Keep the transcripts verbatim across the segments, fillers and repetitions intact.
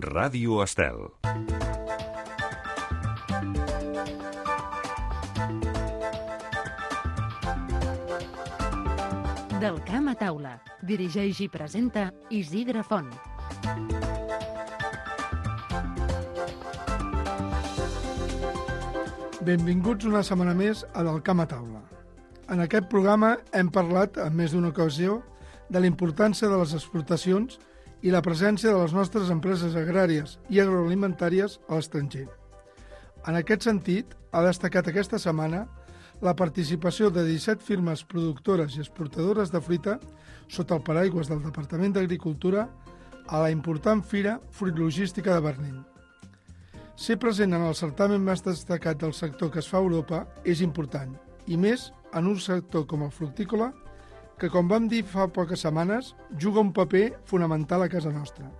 Ràdio Estel. Del camp a taula. Dirigeix i presenta Isidre Font. Benvinguts una setmana més a Del camp a taula. En aquest programa hem parlat en més d'una ocasió de la importància de les exportacions i la presència de les nostres empreses agràries i agroalimentàries a l'estranger. En aquest sentit, ha destacat aquesta setmana la participació de disset firmes productores i exportadores de fruita sota el paraigües del Departament d'Agricultura a la important Fira Fruit Logística de Berlín. Ser present en el certamen més destacat del sector que es fa a Europa és important, i més en un sector com el fructícola, que, com vam dir fa poques setmanes, juga un paper fonamental a casa nostra.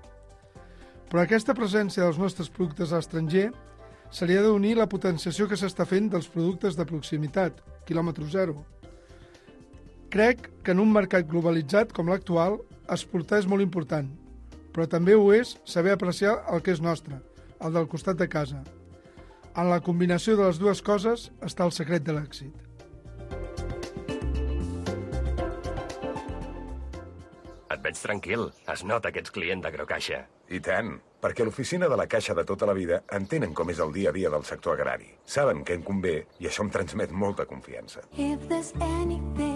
Però aquesta presència dels nostres productes a l'estranger seria d'unir la potenciació que s'està fent dels productes de proximitat, quilòmetre zero. Crec que en un mercat globalitzat com l'actual, exportar és molt important, però també ho és saber apreciar el que és nostre, el del costat de casa. En la combinació de les dues coses està el secret de l'èxit. Et veig tranquil. Es nota que ets client d'Agrocaixa. I tant, perquè l'oficina de la Caixa de tota la vida entenen com és el dia a dia del sector agrari. Saben què en convé i això em transmet molta confiança.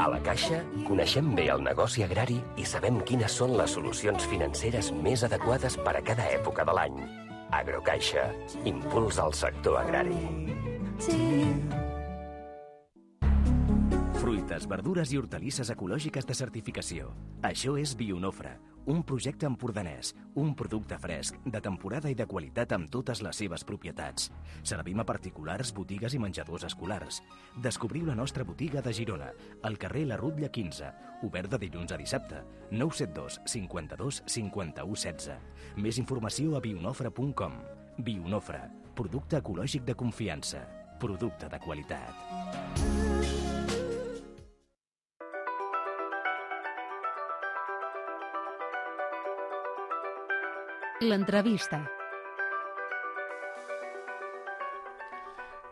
A la Caixa coneixem bé el negoci agrari i sabem quines són les solucions financeres més adequades per a cada època de l'any. Agrocaixa, impuls al sector agrari. Fruites, verdures i hortalisses ecològiques de certificació. Això és Bionofre, un projecte empordanès, un producte fresc, de temporada i de qualitat amb totes les seves propietats. Servim a particulars, botigues i menjadors escolars. Descobriu la nostra botiga de Girona, al carrer La Rutlla quinze, obert de dilluns a dissabte, nou set dos cinquanta-dos cinquanta-u setze. Més informació a bionofre punt com. Bionofre, producte ecològic de confiança, producte de qualitat. L'entrevista.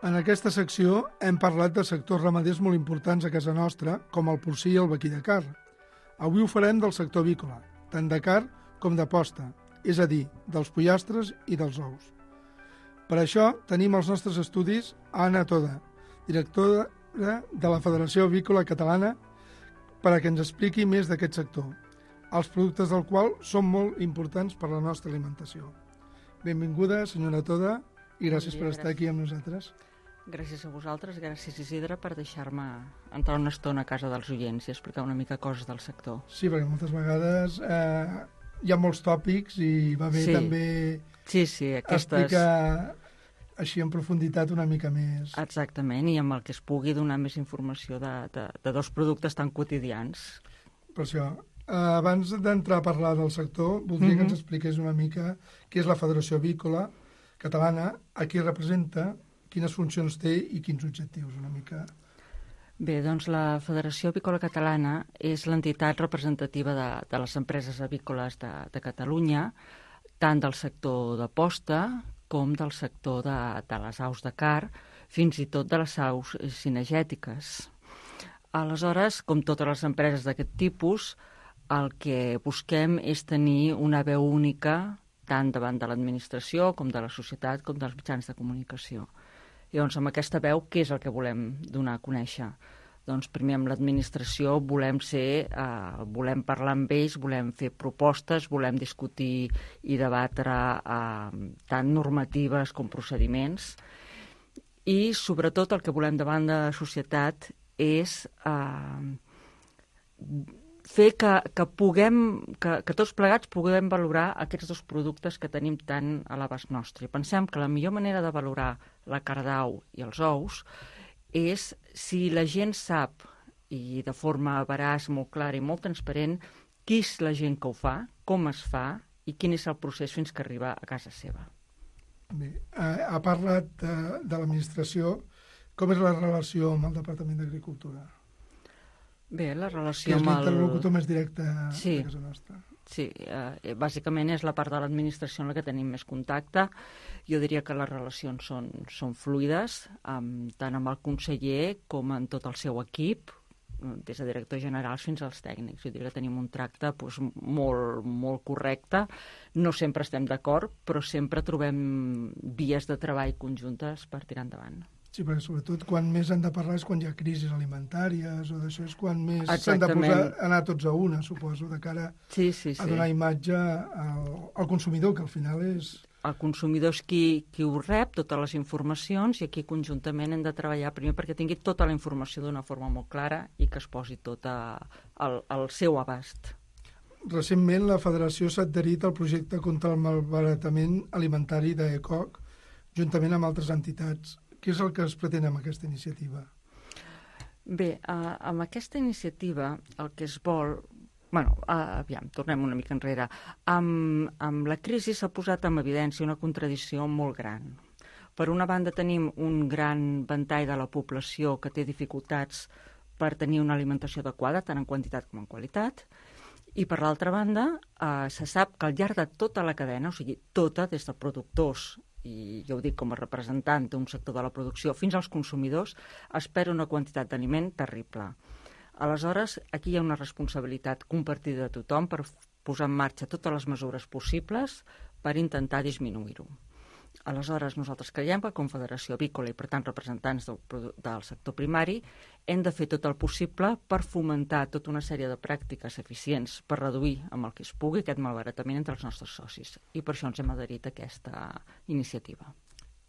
En aquesta secció hem parlat de sectors ramaders molt importants a casa nostra, com el porcí i el vaquí de carn. Avui ho farem del sector avícola, tant de carn com de posta, és a dir, dels pollastres i dels ous. Per això tenim als nostres estudis a Anna Toda, directora de la Federació Avícola Catalana, per a que ens expliqui més d'aquest sector, els productes del qual són molt importants per a la nostra alimentació. Benvinguda, senyora Toda, i gràcies Bon dia, per estar gràcies. aquí amb nosaltres. Gràcies a vosaltres, gràcies Isidre per deixar-me entrar una estona a casa dels oients i explicar una mica coses del sector. Sí, perquè moltes vegades eh, hi ha molts tòpics i va bé Sí. també Sí, sí, aquestes... explicar així en profunditat una mica més. Exactament, i amb el que es pugui donar més informació de, de, de dos productes tan quotidians. Per això, eh, abans d'entrar a parlar del sector, voldria Mhm. que ens expliqués una mica què és la Federació Avícola Catalana, a qui representa, quines funcions té i quins objectius, una mica. Bé, doncs la Federació Avícola Catalana és l'entitat representativa de, de les empreses avícoles de, de Catalunya, tant del sector de posta com del sector de, de les aus de carn, fins i tot de les aus cinegètiques. Aleshores, com totes les empreses d'aquest tipus, el que busquem és tenir una veu única tant davant de l'administració com de la societat com dels mitjans de comunicació. I doncs amb aquesta veu, què és el que volem donar a conèixer? Doncs primer amb l'administració volem ser, eh, volem parlar amb ells, volem fer propostes, volem discutir i debatre eh, tant normatives com procediments i sobretot el que volem davant de la societat és eh, fer que, que puguem, que, que tots plegats puguem valorar aquests dos productes que tenim tan a l'abast nostre. I pensem que la millor manera de valorar la carn d'au i els ous és si la gent sap, i de forma veraç, molt clara i molt transparent, qui és la gent que ho fa, com es fa i quin és el procés fins que arriba a casa seva. Bé, ha, ha parlat de, de l'administració. Com és la relació amb el Departament d'Agricultura? Bé, la Que relació és amb el... l'interlocutor més directe Sí. de casa nostra. sí. Eh, bàsicament és la part de l'administració en la que tenim més contacte. Jo diria que les relacions són, són fluides, amb, tant amb el conseller com amb tot el seu equip, des de directors generals fins als tècnics. Jo diria que tenim un tracte doncs, molt, molt correcte. No sempre estem d'acord, però sempre trobem vies de treball conjuntes per tirar endavant. Sí, perquè sobretot quan més han de parlar és quan hi ha crisis alimentàries o d'això, és quan més s'han de posar, anar tots a una, suposo, de cara sí, sí, sí. a donar imatge al, al consumidor, que al final és... El consumidor és qui, qui ho rep, totes les informacions, i aquí conjuntament hem de treballar primer perquè tingui tota la informació d'una forma molt clara i que es posi tot a, al, al seu abast. Recentment la Federació s'ha adherit al projecte contra el malbaratament alimentari d'ECOC, juntament amb altres entitats. Què és el que es pretén amb aquesta iniciativa? Bé, eh, amb aquesta iniciativa el que es vol... Bueno, uh, aviam, tornem una mica enrere. Amb, amb la crisi s'ha posat en evidència una contradicció molt gran. Per una banda tenim un gran ventall de la població que té dificultats per tenir una alimentació adequada, tant en quantitat com en qualitat, i per l'altra banda uh, se sap que al llarg de tota la cadena, o sigui, tota, des de productors, i jo ho dic com a representant d'un sector de la producció, fins als consumidors, espera una quantitat d'aliment terrible. Aleshores, aquí hi ha una responsabilitat compartida de tothom per posar en marxa totes les mesures possibles per intentar disminuir-ho. Aleshores, nosaltres creiem que com Federació Avícola i, per tant, representants del, del sector primari, hem de fer tot el possible per fomentar tota una sèrie de pràctiques eficients per reduir, amb el que es pugui, aquest malbaratament entre els nostres socis. I per això ens hem adherit a aquesta iniciativa.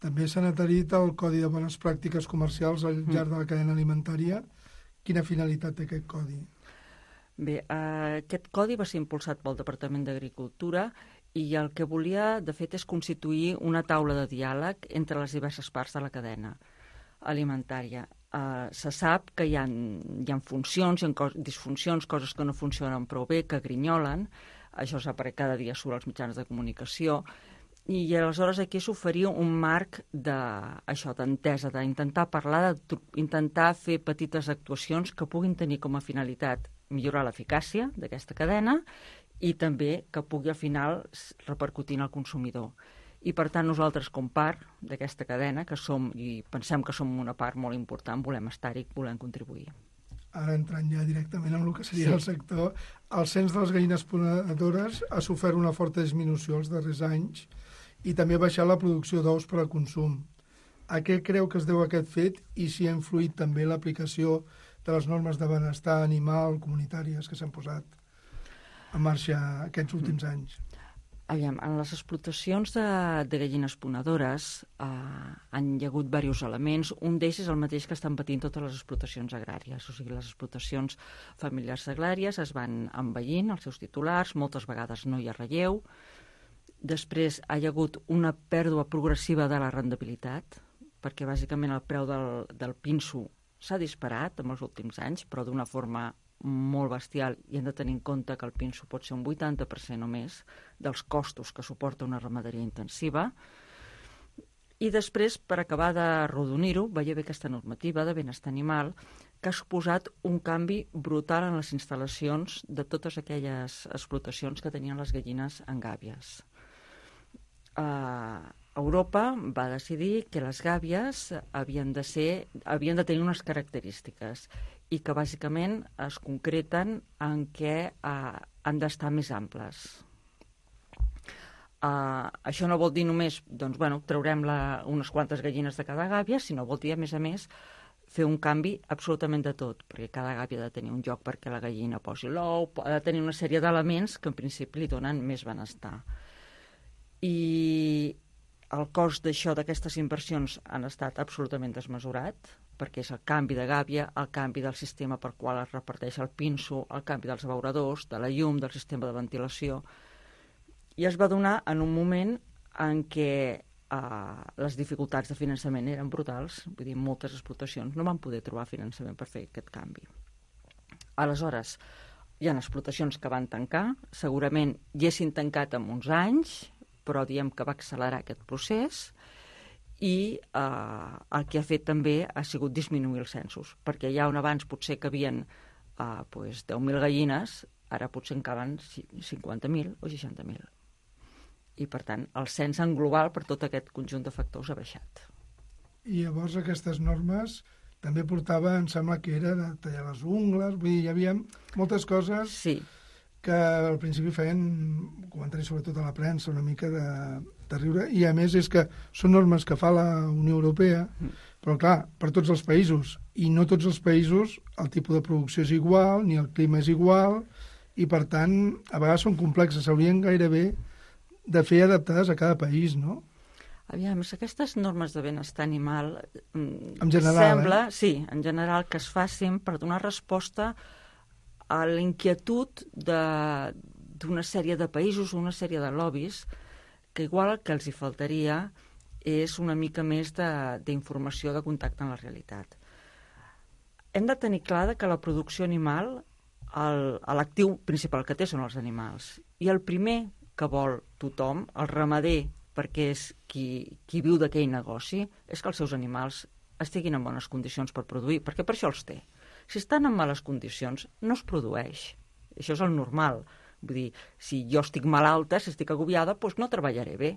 També s'han adherit al Codi de Bones Pràctiques Comercials al llarg de la cadena alimentària. Quina finalitat té aquest codi? Bé, eh, aquest codi va ser impulsat pel Departament d'Agricultura i el que volia, de fet, és constituir una taula de diàleg entre les diverses parts de la cadena alimentària. Eh, se sap que hi ha, hi ha funcions, hi ha cos, disfuncions, coses que no funcionen prou bé, que grinyolen. Això sap perquè cada dia surt als mitjans de comunicació. I aleshores aquí s'oferia un marc d'això, d'entesa, d'intentar parlar, d'intentar fer petites actuacions que puguin tenir com a finalitat millorar l'eficàcia d'aquesta cadena i també que pugui al final repercutir en el consumidor. I per tant nosaltres com part d'aquesta cadena, que som i pensem que som una part molt important, volem estar-hi, volem contribuir. Ara entrant ja directament en el que seria sí. el sector, el cens de les gallines ponedores ha sofert una forta disminució els darrers anys i també ha baixat la producció d'ous per al consum. A què creu que es deu aquest fet i si ha influït també l'aplicació de les normes de benestar animal comunitàries que s'han posat en marxa aquests últims mm. anys? Aviam, en les explotacions de, de gallines ponedores eh, han hi ha hagut diversos elements. Un d'ells és el mateix que estan patint totes les explotacions agràries. O sigui, les explotacions familiars agràries es van envellint els seus titulars, moltes vegades no hi ha relleu. Després hi ha hagut una pèrdua progressiva de la rendibilitat, perquè bàsicament el preu del, del pinso s'ha disparat en els últims anys, però d'una forma molt bestial, i hem de tenir en compte que el pinso pot ser un vuitanta per cent o més dels costos que suporta una ramaderia intensiva. I després, per acabar d'arrodonir-ho, veia bé aquesta normativa de benestar animal, que ha suposat un canvi brutal en les instal·lacions de totes aquelles explotacions que tenien les gallines en gàbies. Uh, Europa va decidir que les gàbies havien de ser, havien de tenir unes característiques i que bàsicament es concreten en què uh, han d'estar més amples. Uh, això no vol dir només, doncs, bueno, traurem la, unes quantes gallines de cada gàbia, sinó vol dir, a més a més, fer un canvi absolutament de tot, perquè cada gàbia ha de tenir un lloc perquè la gallina posi l'ou, ha de tenir una sèrie d'elements que en principi li donen més benestar. I el cost d'això, d'aquestes inversions, han estat absolutament desmesurat, perquè és el canvi de gàbia, el canvi del sistema per qual es reparteix el pinso, el canvi dels abeuradors, de la llum, del sistema de ventilació, i es va donar en un moment en què eh, les dificultats de finançament eren brutals, vull dir, moltes explotacions no van poder trobar finançament per fer aquest canvi. Aleshores, hi ha explotacions que van tancar, segurament hi haguessin tancat en uns anys, però diem que va accelerar aquest procés i eh, el que ha fet també ha sigut disminuir els censos, perquè ja on abans potser que havien eh, pues, deu mil gallines, Ara potser en calen cinquanta mil o seixanta mil. I, per tant, el cens en global per tot aquest conjunt de factors ha baixat. I llavors aquestes normes també portava, em sembla que era de tallar les ungles, vull dir, hi havia moltes coses sí. que al principi feien comentaris sobretot a la premsa una mica de, de riure, i a més és que són normes que fa la Unió Europea, mm. però clar, per tots els països, i no tots els països el tipus de producció és igual, ni el clima és igual, i per tant a vegades són complexes, s'haurien gairebé de fer adaptades a cada país, no? Aviam, aquestes normes de benestar animal en general, sembla, eh? sí, en general, que es facin per donar resposta a la inquietud d'una sèrie de països, una sèrie de lobbies, que igual el que els hi faltaria és una mica més d'informació, de, de contacte amb la realitat. Hem de tenir clar que la producció animal, l'actiu principal que té són els animals. I el primer que vol tothom, el ramader, perquè és qui, qui viu d'aquell negoci, és que els seus animals estiguin en bones condicions per produir, perquè per això els té. Si estan en males condicions, no es produeix. Això és el normal. Vull dir, si jo estic malalta, si estic agobiada, doncs no treballaré bé.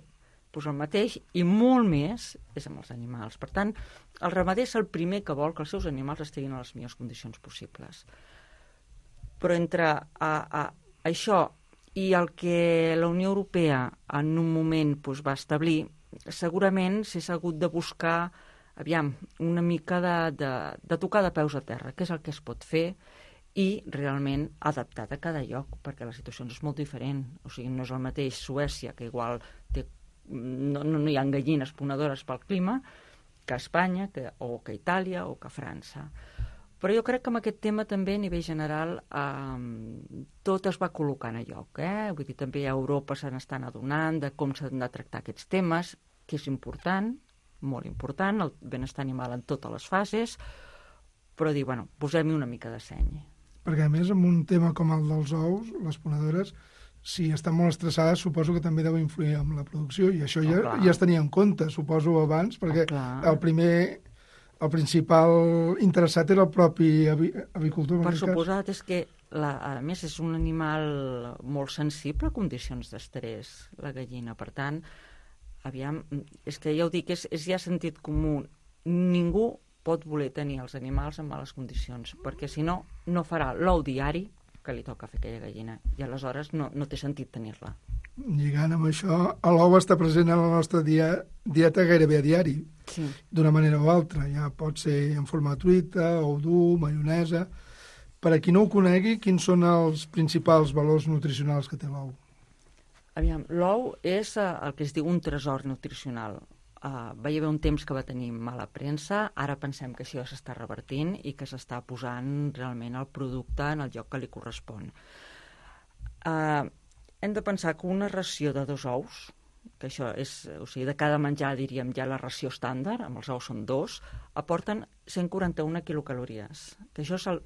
Doncs el mateix, i molt més, és amb els animals. Per tant, el ramader és el primer que vol que els seus animals estiguin en les millors condicions possibles. Però entre a, a, això i el que la Unió Europea en un moment doncs, va establir, segurament s'ha hagut de buscar, aviam, una mica de, de, de tocar de peus a terra, què és el que es pot fer, i realment adaptat a cada lloc, perquè la situació és molt diferent. O sigui, no és el mateix Suècia, que igual té, no, no hi ha gallines ponedores pel clima, que Espanya, que, o que Itàlia, o que França. Però jo crec que amb aquest tema també a nivell general eh, tot es va col·locant a lloc. Eh? Vull dir, també a Europa se n'estan adonant de com s'han de tractar aquests temes, que és important, molt important, el benestar animal en totes les fases, però dir, bueno, posem-hi una mica de seny. Perquè a més, amb un tema com el dels ous, les ponedores, si estan molt estressades, suposo que també deu influir en la producció, i això oh, ja, ja es tenia en compte, suposo, abans, perquè oh, el primer... El principal interessat era el propi avi, avicultor. Per suposat, és que, la, a més, és un animal molt sensible a condicions d'estrès, la gallina. Per tant, aviam, és que ja ho dic, és, és ja sentit comú. Ningú pot voler tenir els animals en males condicions, perquè si no, no farà l'ou diari que li toca fer aquella gallina, i aleshores no, no té sentit tenir-la. Lligant amb això, l'ou està present en la nostra dia, dieta gairebé a diari, sí. D'una manera o altra. Ja pot ser en forma de truita, ou dur, maionesa. Per a qui no ho conegui, quins són els principals valors nutricionals que té l'ou? Aviam, l'ou és uh, el que es diu un tresor nutricional. Uh, va hi haver un temps que va tenir mala premsa, ara pensem que això s'està revertint i que s'està posant realment el producte en el lloc que li correspon. Uh, hem de pensar que una ració de dos ous, que això és, o sigui, de cada menjar, diríem, ja la ració estàndard, amb els ous són dos, aporten cent quaranta-una quilocalories, que això és el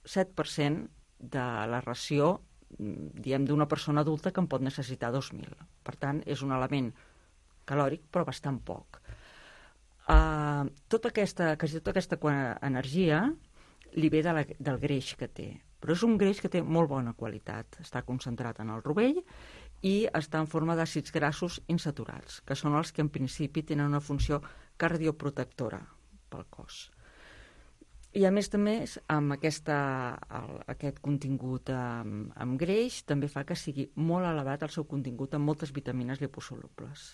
set per cent de la ració, diem, d'una persona adulta que en pot necessitar dos mil. Per tant, és un element calòric, però bastant poc. Uh, tota aquesta, quasi tota aquesta energia li ve de la, del greix que té, però és un greix que té molt bona qualitat. Està concentrat en el rovell i està en forma d'àcids grassos insaturats, que són els que en principi tenen una funció cardioprotectora pel cos. I a més també, amb aquesta, el, aquest contingut amb, amb greix, també fa que sigui molt elevat el seu contingut amb moltes vitamines liposolubles.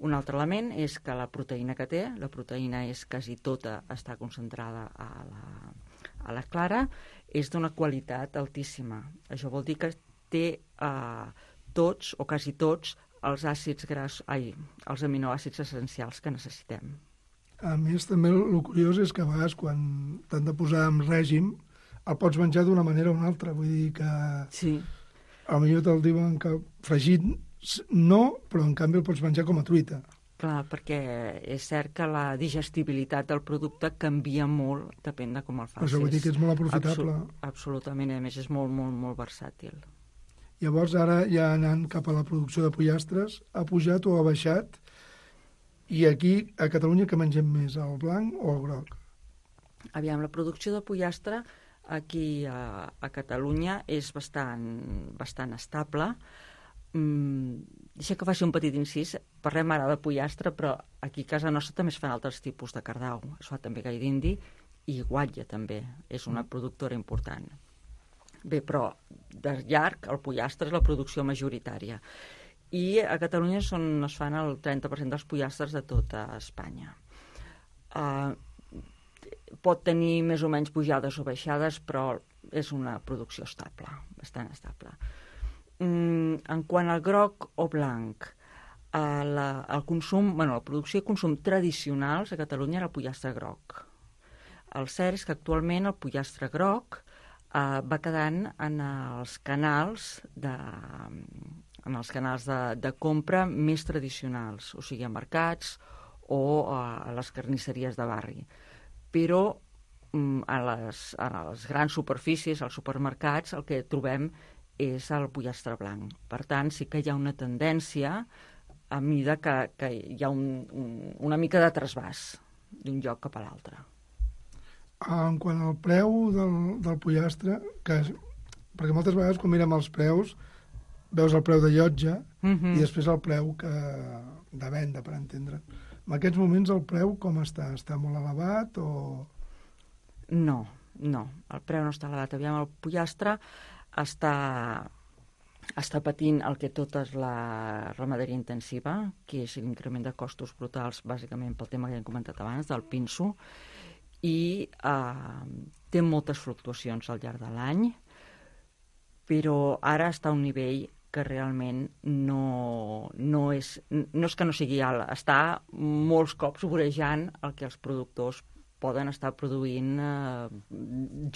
Un altre element és que la proteïna que té, la proteïna és quasi tota, està concentrada a la, a la clara, és d'una qualitat altíssima. Això vol dir que té eh, tots, o quasi tots, els àcids gras, ai, els aminoàcids essencials que necessitem. A més, també el curiós és que a vegades quan t'han de posar en règim el pots menjar d'una manera o una altra. Vull dir que sí. Potser te'l diuen que fregit no, però en canvi el pots menjar com a truita. Clar, perquè és cert que la digestibilitat del producte canvia molt, depèn de com el facis. Però això vull dir que és molt aprofitable. Absolut, absolutament, a més és molt, molt, molt versàtil. Llavors ara ja anant cap a la producció de pollastres, ha pujat o ha baixat? I aquí, a Catalunya, que mengem més, el blanc o el groc? Aviam, la producció de pollastre aquí a, a Catalunya és bastant, bastant estable. Mm, deixa que faci un petit incís. Parlem ara de pollastre, però aquí a casa nostra també es fan altres tipus de cardau. Es fa també gall d'indi i guatlla també. És una productora important. Bé, però de llarg el pollastre és la producció majoritària. I a Catalunya són, es fan el trenta per cent dels pollastres de tota Espanya. Uh, pot tenir més o menys pujades o baixades, però és una producció estable, bastant estable. Mm, en quant al groc o blanc, uh, la, el consum, bueno, la producció i consum tradicionals a Catalunya era el pollastre groc. El cert és que actualment el pollastre groc uh, va quedant en els canals de... en els canals de, de compra més tradicionals, o sigui, a mercats o a les carnisseries de barri. Però a les, a les grans superfícies, als supermercats, el que trobem és el pollastre blanc. Per tant, sí que hi ha una tendència a mida que, que hi ha un, un, una mica de trasbàs d'un lloc cap a l'altre. En quant al preu del, del pollastre, que és, perquè moltes vegades quan mirem els preus veus el preu de llotja uh-huh. i després el preu que, de venda, per entendre. En aquests moments el preu com està? Està molt elevat o...? No, no, el preu no està elevat. Aviam, el pollastre està, està patint el que tot és la ramaderia intensiva, que és l'increment de costos brutals, bàsicament pel tema que hem comentat abans, del pinso, i eh, té moltes fluctuacions al llarg de l'any, però ara està a un nivell que realment no, no, és, no és que no sigui alt, està molts cops vorejant el que els productors poden estar produint eh,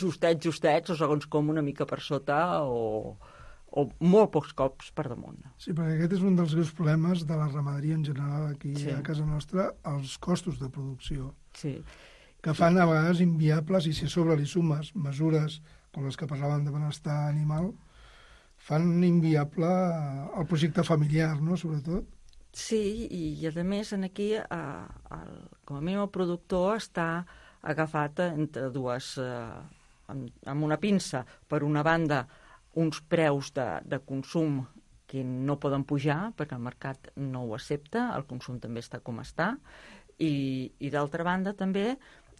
justets, justets, o segons com una mica per sota, o, o molt pocs cops per damunt. Sí, perquè aquest és un dels greus problemes de la ramaderia en general aquí sí. a casa nostra, els costos de producció, sí. que fan a vegades inviables, i si a sobre li sumes mesures com les que parlàvem de benestar animal, fan inviable el projecte familiar, no?, sobretot. Sí, i, i a més, aquí, eh, el, com a mínim el productor està agafat entre dues, eh, amb, amb una pinça, per una banda, uns preus de, de consum que no poden pujar, perquè el mercat no ho accepta, el consum també està com està, i, i d'altra banda també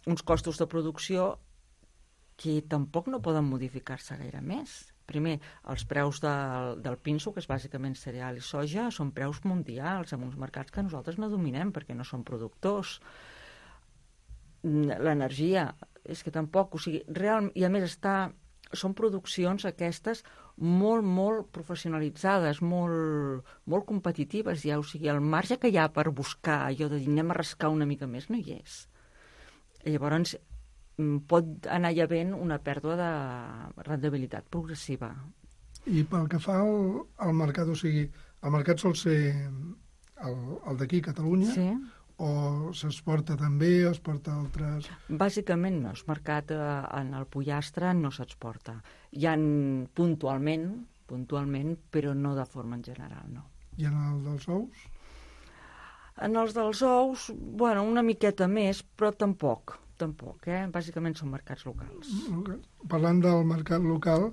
uns costos de producció que tampoc no poden modificar-se gaire més. Primer, els preus del, del pinso, que és bàsicament cereal i soja, són preus mundials, en uns mercats que nosaltres no dominem perquè no som productors. L'energia, és que tampoc, o sigui, real, i a més està, són produccions aquestes molt, molt professionalitzades, molt, molt competitives, ja, o sigui, el marge que hi ha per buscar allò de dir anem a rascar una mica més no hi és. I llavors pot anar hi havent una pèrdua de rendibilitat progressiva. I pel que fa al, al mercat, o sigui, el mercat sol ser el, el d'aquí, Catalunya, sí. o s'exporta també, o es porta a altres... Bàsicament no, el mercat eh, en el pollastre no s'exporta. Hi ha puntualment, puntualment, però no de forma en general, no. I en el dels ous? En els dels ous, bueno, una miqueta més, però tampoc. Tampoc, eh? Bàsicament són mercats locals. Parlant del mercat local,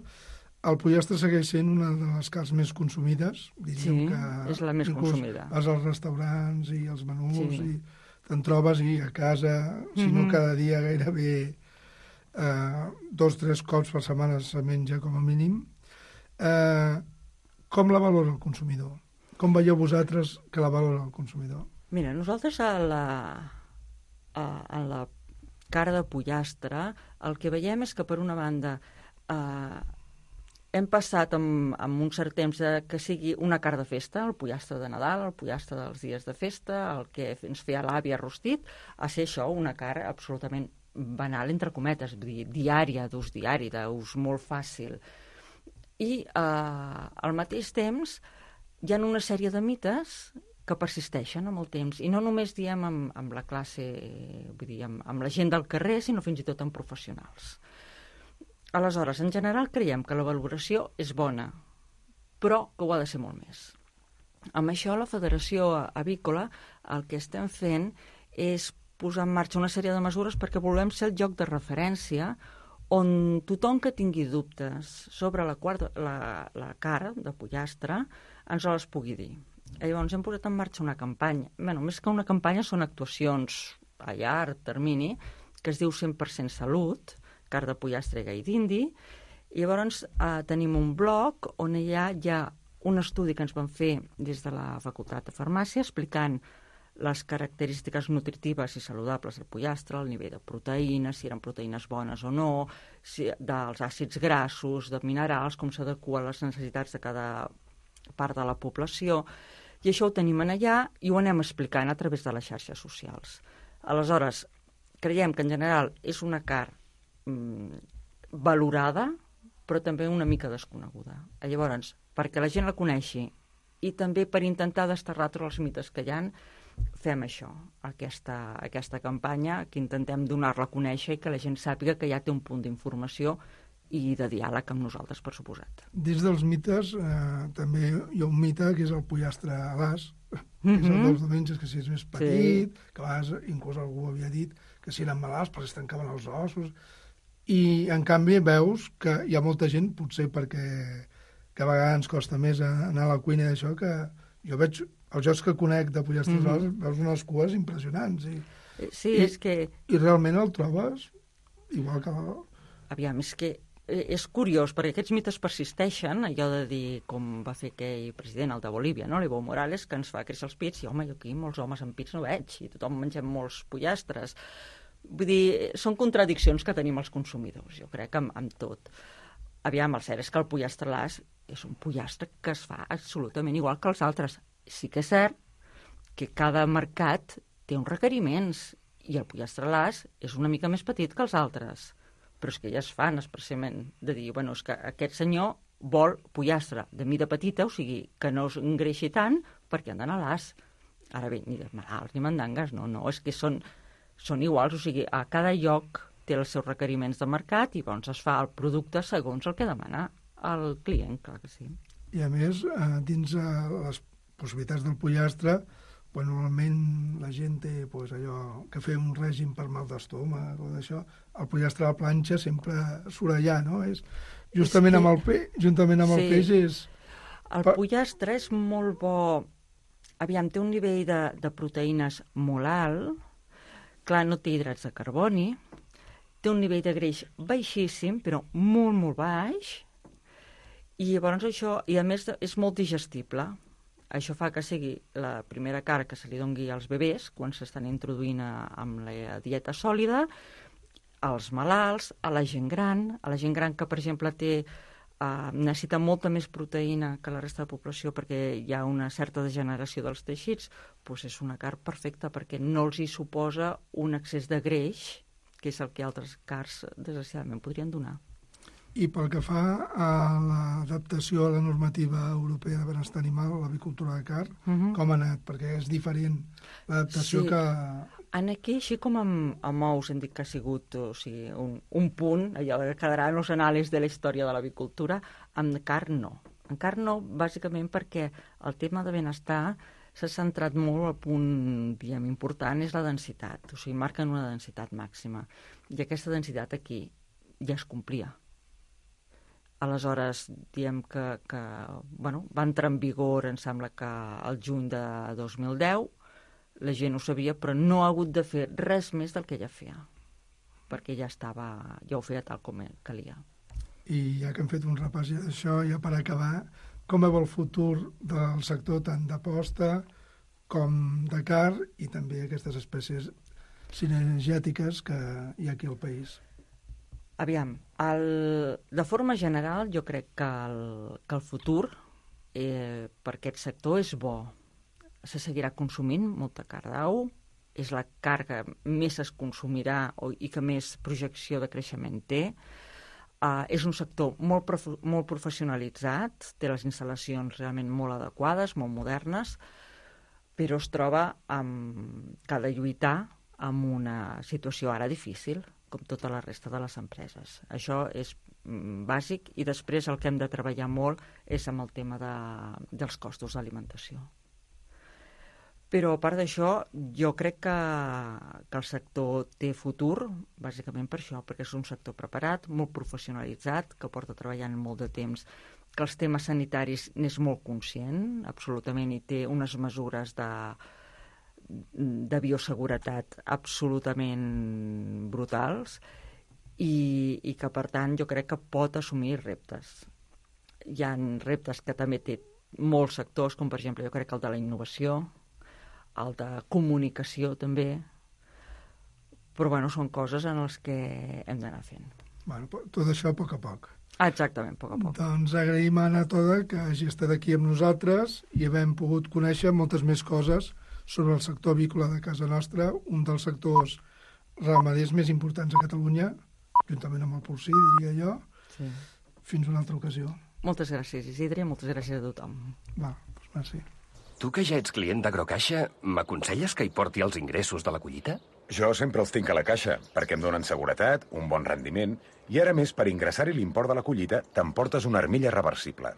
el pollastre segueix sent una de les carns més consumides. Diríem sí, que és la més consumida. Vas als restaurants i als menús sí. i te'n trobes i a casa, si mm-hmm. no cada dia gairebé eh, dos o tres cops per setmana se menja com a mínim. Eh, com la valora el consumidor? Com veieu vosaltres que la valora el consumidor? Mira, nosaltres a la, a, a la cara de pollastre, el que veiem és que, per una banda, eh, hem passat amb, amb un cert temps que sigui una carn de festa, el pollastre de Nadal, el pollastre dels dies de festa, el que ens feia l'àvia rostit, a ser això una carn absolutament banal, entre cometes, vull dir, diària, d'ús diari, d'ús molt fàcil. I eh, al mateix temps hi ha una sèrie de mites que persisteixen amb el temps, i no només diem amb, amb la classe, vull dir, amb, amb la gent del carrer, sinó fins i tot amb professionals. Aleshores, en general creiem que la valoració és bona, però que ho ha de ser molt més. Amb això, la Federació Avícola, el que estem fent és posar en marxa una sèrie de mesures perquè volem ser el lloc de referència on tothom que tingui dubtes sobre la, quarta, la, la cara de pollastre ens les pugui dir. I llavors hem posat en marxa una campanya. Bé, més que una campanya són actuacions a llarg termini, que es diu cent per cent Salut, carn de pollastre i gai d'indi. I llavors eh, tenim un blog on hi ha, hi ha un estudi que ens van fer des de la Facultat de Farmàcia explicant les característiques nutritives i saludables del pollastre, el nivell de proteïnes, si eren proteïnes bones o no, si, dels àcids grassos, de minerals, com s'adequa a les necessitats de cada part de la població. I això ho tenim allà i ho anem explicant a través de les xarxes socials. Aleshores, creiem que en general és una carn mmm, valorada, però també una mica desconeguda. Llavors, perquè la gent la coneixi i també per intentar desterrar tots els mites que hi ha, fem això, aquesta, aquesta campanya, que intentem donar-la a conèixer i que la gent sàpiga que ja té un punt d'informació i de diàleg amb nosaltres, per suposat. Dins dels mites, eh, també hi ha un mite que és el pollastre a l'as, que Mm-hmm. és el dels diumenges, que si és més petit, Sí. que a vegades inclús algú havia dit que si eren malalts perquè es tancaven els ossos, i en canvi veus que hi ha molta gent, potser perquè que a vegades ens costa més anar a la cuina d'això, que jo veig els jocs que conec de pollastres mm -hmm. veus unes cues impressionants. I, Sí, i, és que... I realment el trobes igual que... Aviam, és que és curiós, perquè aquests mites persisteixen, allò de dir, com va fer aquell president, el de Bolívia, no? l'Evo Morales, que ens fa créixer els pits, i home, jo aquí molts homes amb pits no veig, i tothom mengem molts pollastres. Vull dir, són contradiccions que tenim els consumidors, jo crec, amb, amb tot. Aviam, el cert és que el pollastre a l'as és un pollastre que es fa absolutament igual que els altres. Sí que és cert que cada mercat té uns requeriments, i el pollastre a l'as és una mica més petit que els altres. Però és que ja es fan expressament de dir, bueno, és que aquest senyor vol pollastre de mida petita, o sigui, que no es engreixi tant, perquè han d'anar a l'as. Ara bé, ni de malalts ni mandangues, no, no, és que són, són iguals, o sigui, a cada lloc té els seus requeriments de mercat i llavors es fa el producte segons el que demana el client, clar que sí. I a més, eh, dins eh, les possibilitats del pollastre, quan normalment la gent té pues, allò que fer un règim per mal d'estómac o d'això, el pollastre a la planxa sempre surt allà, no? És, justament és que... amb el peix, juntament amb sí. el peix és... El pollastre és molt bo. Aviam, té un nivell de, de proteïnes molt alt, clar, no té hidrats de carboni, té un nivell de greix baixíssim, però molt, molt baix, i llavors això, i a més és molt digestible. Això fa que sigui la primera carn que se li doni als bebès quan s'estan introduint a, amb la dieta sòlida, als malalts, a la gent gran, a la gent gran que, per exemple, té, eh, necessita molta més proteïna que la resta de població perquè hi ha una certa degeneració dels teixits, doncs és una carn perfecta perquè no els hi suposa un excés de greix, que és el que altres carns, desgraciadament, podrien donar. I pel que fa a l'adaptació a la normativa europea de benestar animal, a l'avicultura de carn, uh-huh. com ha anat? Perquè és diferent l'adaptació sí. que... En aquí, així com amb, amb ous, hem dit que ha sigut o sigui, un, un punt, allò que quedarà en els anàlisis de la història de l'avicultura, amb carn no. En carn no, bàsicament perquè el tema de benestar s'ha centrat molt, el punt diguem, important és la densitat, o sigui, marquen una densitat màxima. I aquesta densitat aquí ja es complia. Aleshores, diem que, que bueno, va entrar en vigor, em sembla que el juny de dos mil deu, la gent ho sabia, però no ha hagut de fer res més del que ja feia, perquè ja estava, ja ho feia tal com calia. I ja que hem fet un repàs ja d'això, ja per acabar, com veu el futur del sector tant de posta com de carn i també aquestes espècies cinegètiques que hi ha aquí al país? Aviam, el, de forma general jo crec que el, que el futur eh, per aquest sector és bo. Se seguirà consumint molta carn d'au, és la carn que més es consumirà o, i que més projecció de creixement té. Uh, és un sector molt, prof, molt professionalitzat, té les instal·lacions realment molt adequades, molt modernes, però es troba amb, que ha de lluitar amb una situació ara difícil, com tota la resta de les empreses. Això és bàsic i després el que hem de treballar molt és amb el tema de, dels costos d'alimentació. Però a part d'això, jo crec que, que el sector té futur, bàsicament per això, perquè és un sector preparat, molt professionalitzat, que porta treballant molt de temps, que els temes sanitaris n'és molt conscient, absolutament, i té unes mesures de, de bioseguretat absolutament brutals, i, i que, per tant, jo crec que pot assumir reptes. Hi ha reptes que també té molts sectors, com per exemple, jo crec que el de la innovació, el de comunicació també, però bueno, són coses en les que hem d'anar fent. Bueno, tot això a poc a poc. Exactament, a poc a poc. Doncs agraïm a Anna Toda que hagi estat aquí amb nosaltres i havem pogut conèixer moltes més coses sobre el sector avícola de casa nostra, un dels sectors ramaders més importants a Catalunya, juntament amb el porcí, diria jo. Sí. Fins una altra ocasió. Moltes gràcies, Isidre, moltes gràcies a tothom. Va, doncs merci. Tu, que ja ets client d'Agrocaixa, m'aconselles que hi porti els ingressos de la collita? Jo sempre els tinc a la caixa, perquè em donen seguretat, un bon rendiment, i ara més, per ingressar-hi l'import de la collita, t'emportes una armilla reversible.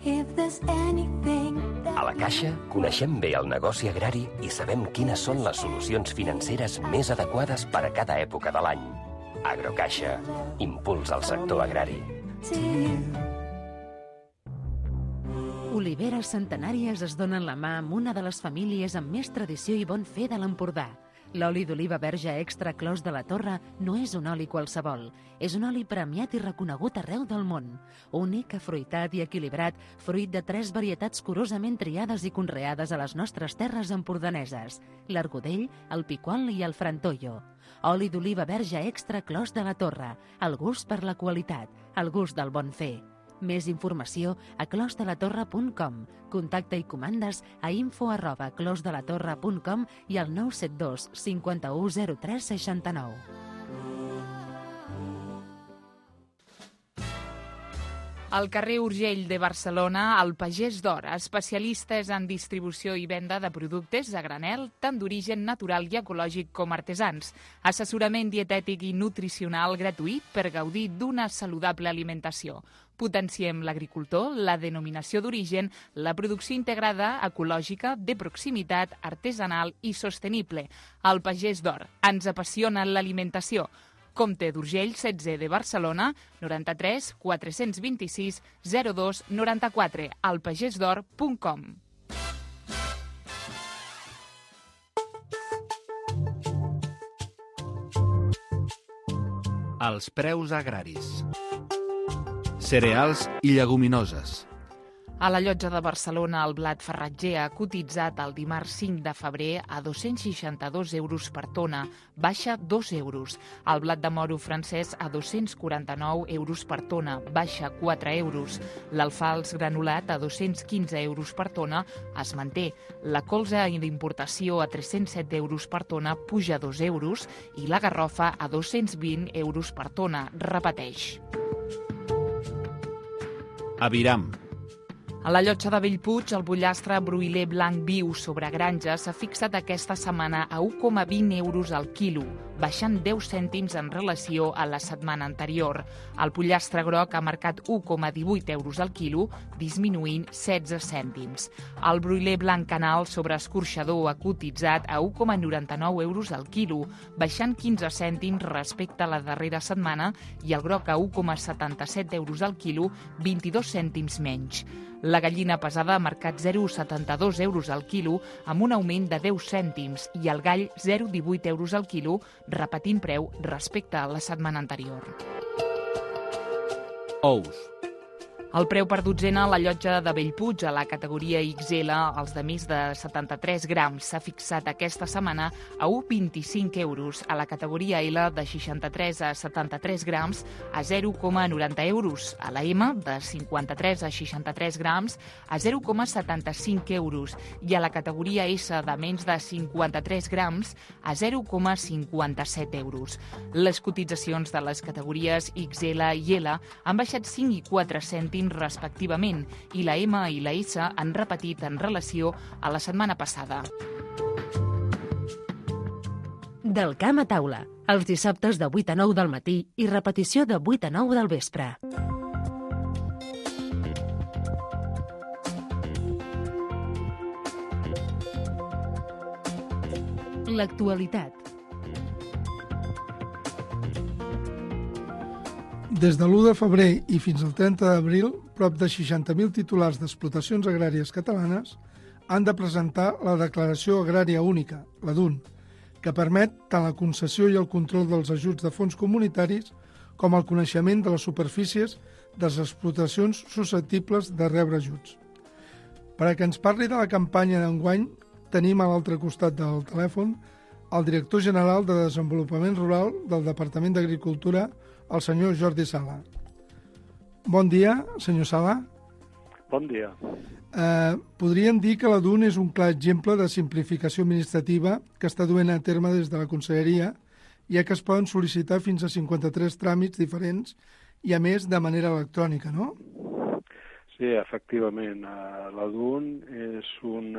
A la Caixa coneixem bé el negoci agrari i sabem quines són les solucions financeres més adequades per a cada època de l'any. Agrocaixa, impuls al sector agrari. Oliveres centenàries es donen la mà amb una de les famílies amb més tradició i bon fer de l'Empordà. L'oli d'oliva verge extra Clos de la Torre no és un oli qualsevol. És un oli premiat i reconegut arreu del món. Únic, afruitat i equilibrat, fruit de tres varietats curosament triades i conreades a les nostres terres empordaneses: l'argudell, el piquol i el frantollo. Oli d'oliva verge extra Clos de la Torre. El gust per la qualitat, el gust del bon fer. Més informació a clos de la torre punt com. Contacte i comandes a info arroba clos de la torre punt com i al nou set dos cinquanta-u zero tres seixanta-nou. Al carrer Urgell de Barcelona, el Pagès d'Or, especialistes en distribució i venda de productes a granel, tant d'origen natural i ecològic com artesans. Assessorament dietètic i nutricional gratuït per gaudir d'una saludable alimentació. Potenciem l'agricultor, la denominació d'origen, la producció integrada, ecològica, de proximitat, artesanal i sostenible. El Pagès d'Or. Ens apassiona l'alimentació. Comte d'Urgell, setze de Barcelona, noranta-tres quatre-cents vint-i-sis zero dos noranta-quatre, alpagesdor punt com. Els preus agraris. Cereals i lleguminoses. A la Llotja de Barcelona, el blat farratger ha cotitzat el dimarts cinc de febrer a dos-cents seixanta-dos euros per tona, baixa dos euros. El blat de moro francès a dos-cents quaranta-nou euros per tona, baixa quatre euros. L'alfals granulat a dos-cents quinze euros per tona es manté. La colza d'importació a tres-cents set euros per tona puja dos euros i la garrofa a dos-cents vint euros per tona, repeteix. Aviram. A la Llotja de Bellpuig, el pollastre broiler blanc viu sobre granja s'ha fixat aquesta setmana a un coma vint euros al quilo, baixant deu cèntims en relació a la setmana anterior. El pollastre groc ha marcat un coma divuit euros al quilo, disminuint setze cèntims. El broiler blanc canal sobre escorxador ha cotitzat a un coma noranta-nou euros al quilo, baixant quinze cèntims respecte a la darrera setmana, i el groc a un coma setanta-set euros al quilo, vint-i-dos cèntims menys. La gallina pesada ha marcat zero coma setanta-dos euros al quilo, amb un augment de deu cèntims, i el gall zero coma divuit euros al quilo, repetint preu respecte a la setmana anterior. Ous. El preu per dotzena a la Llotja de Bellpuig, a la categoria ics ele, els de més de setanta-tres grams, s'ha fixat aquesta setmana a un coma vint-i-cinc euros. A la categoria ele, de seixanta-tres a setanta-tres grams, a zero coma noranta euros. A la eme, de cinquanta-tres a seixanta-tres grams, a zero coma setanta-cinc euros. I a la categoria esse, de menys de cinquanta-tres grams, a zero coma cinquanta-set euros. Les cotitzacions de les categories ics ele i ele han baixat cinc i quatre cèntims respectivament, i la eme i la esse han repetit en relació a la setmana passada. Del camp a taula, els dissabtes de vuit a nou del matí i repetició de vuit a nou del vespre. L'actualitat. Des de l'u de febrer i fins al trenta d'abril, prop de seixanta mil titulars d'explotacions agràries catalanes han de presentar la Declaració Agrària Única, la D U N, que permet tant la concessió i el control dels ajuts de fons comunitaris com el coneixement de les superfícies de les explotacions susceptibles de rebre ajuts. Per a que ens parli de la campanya d'enguany, tenim a l'altre costat del telèfon el director general de Desenvolupament Rural del Departament d'Agricultura, el senyor Jordi Sala. Bon dia, senyor Sala. Bon dia. Eh, podríem dir que la D U N és un clar exemple de simplificació administrativa que està duent a terme des de la Conselleria, ja que es poden sol·licitar fins a cinquanta-tres tràmits diferents i, a més, de manera electrònica, no? Sí, efectivament. La D U N és un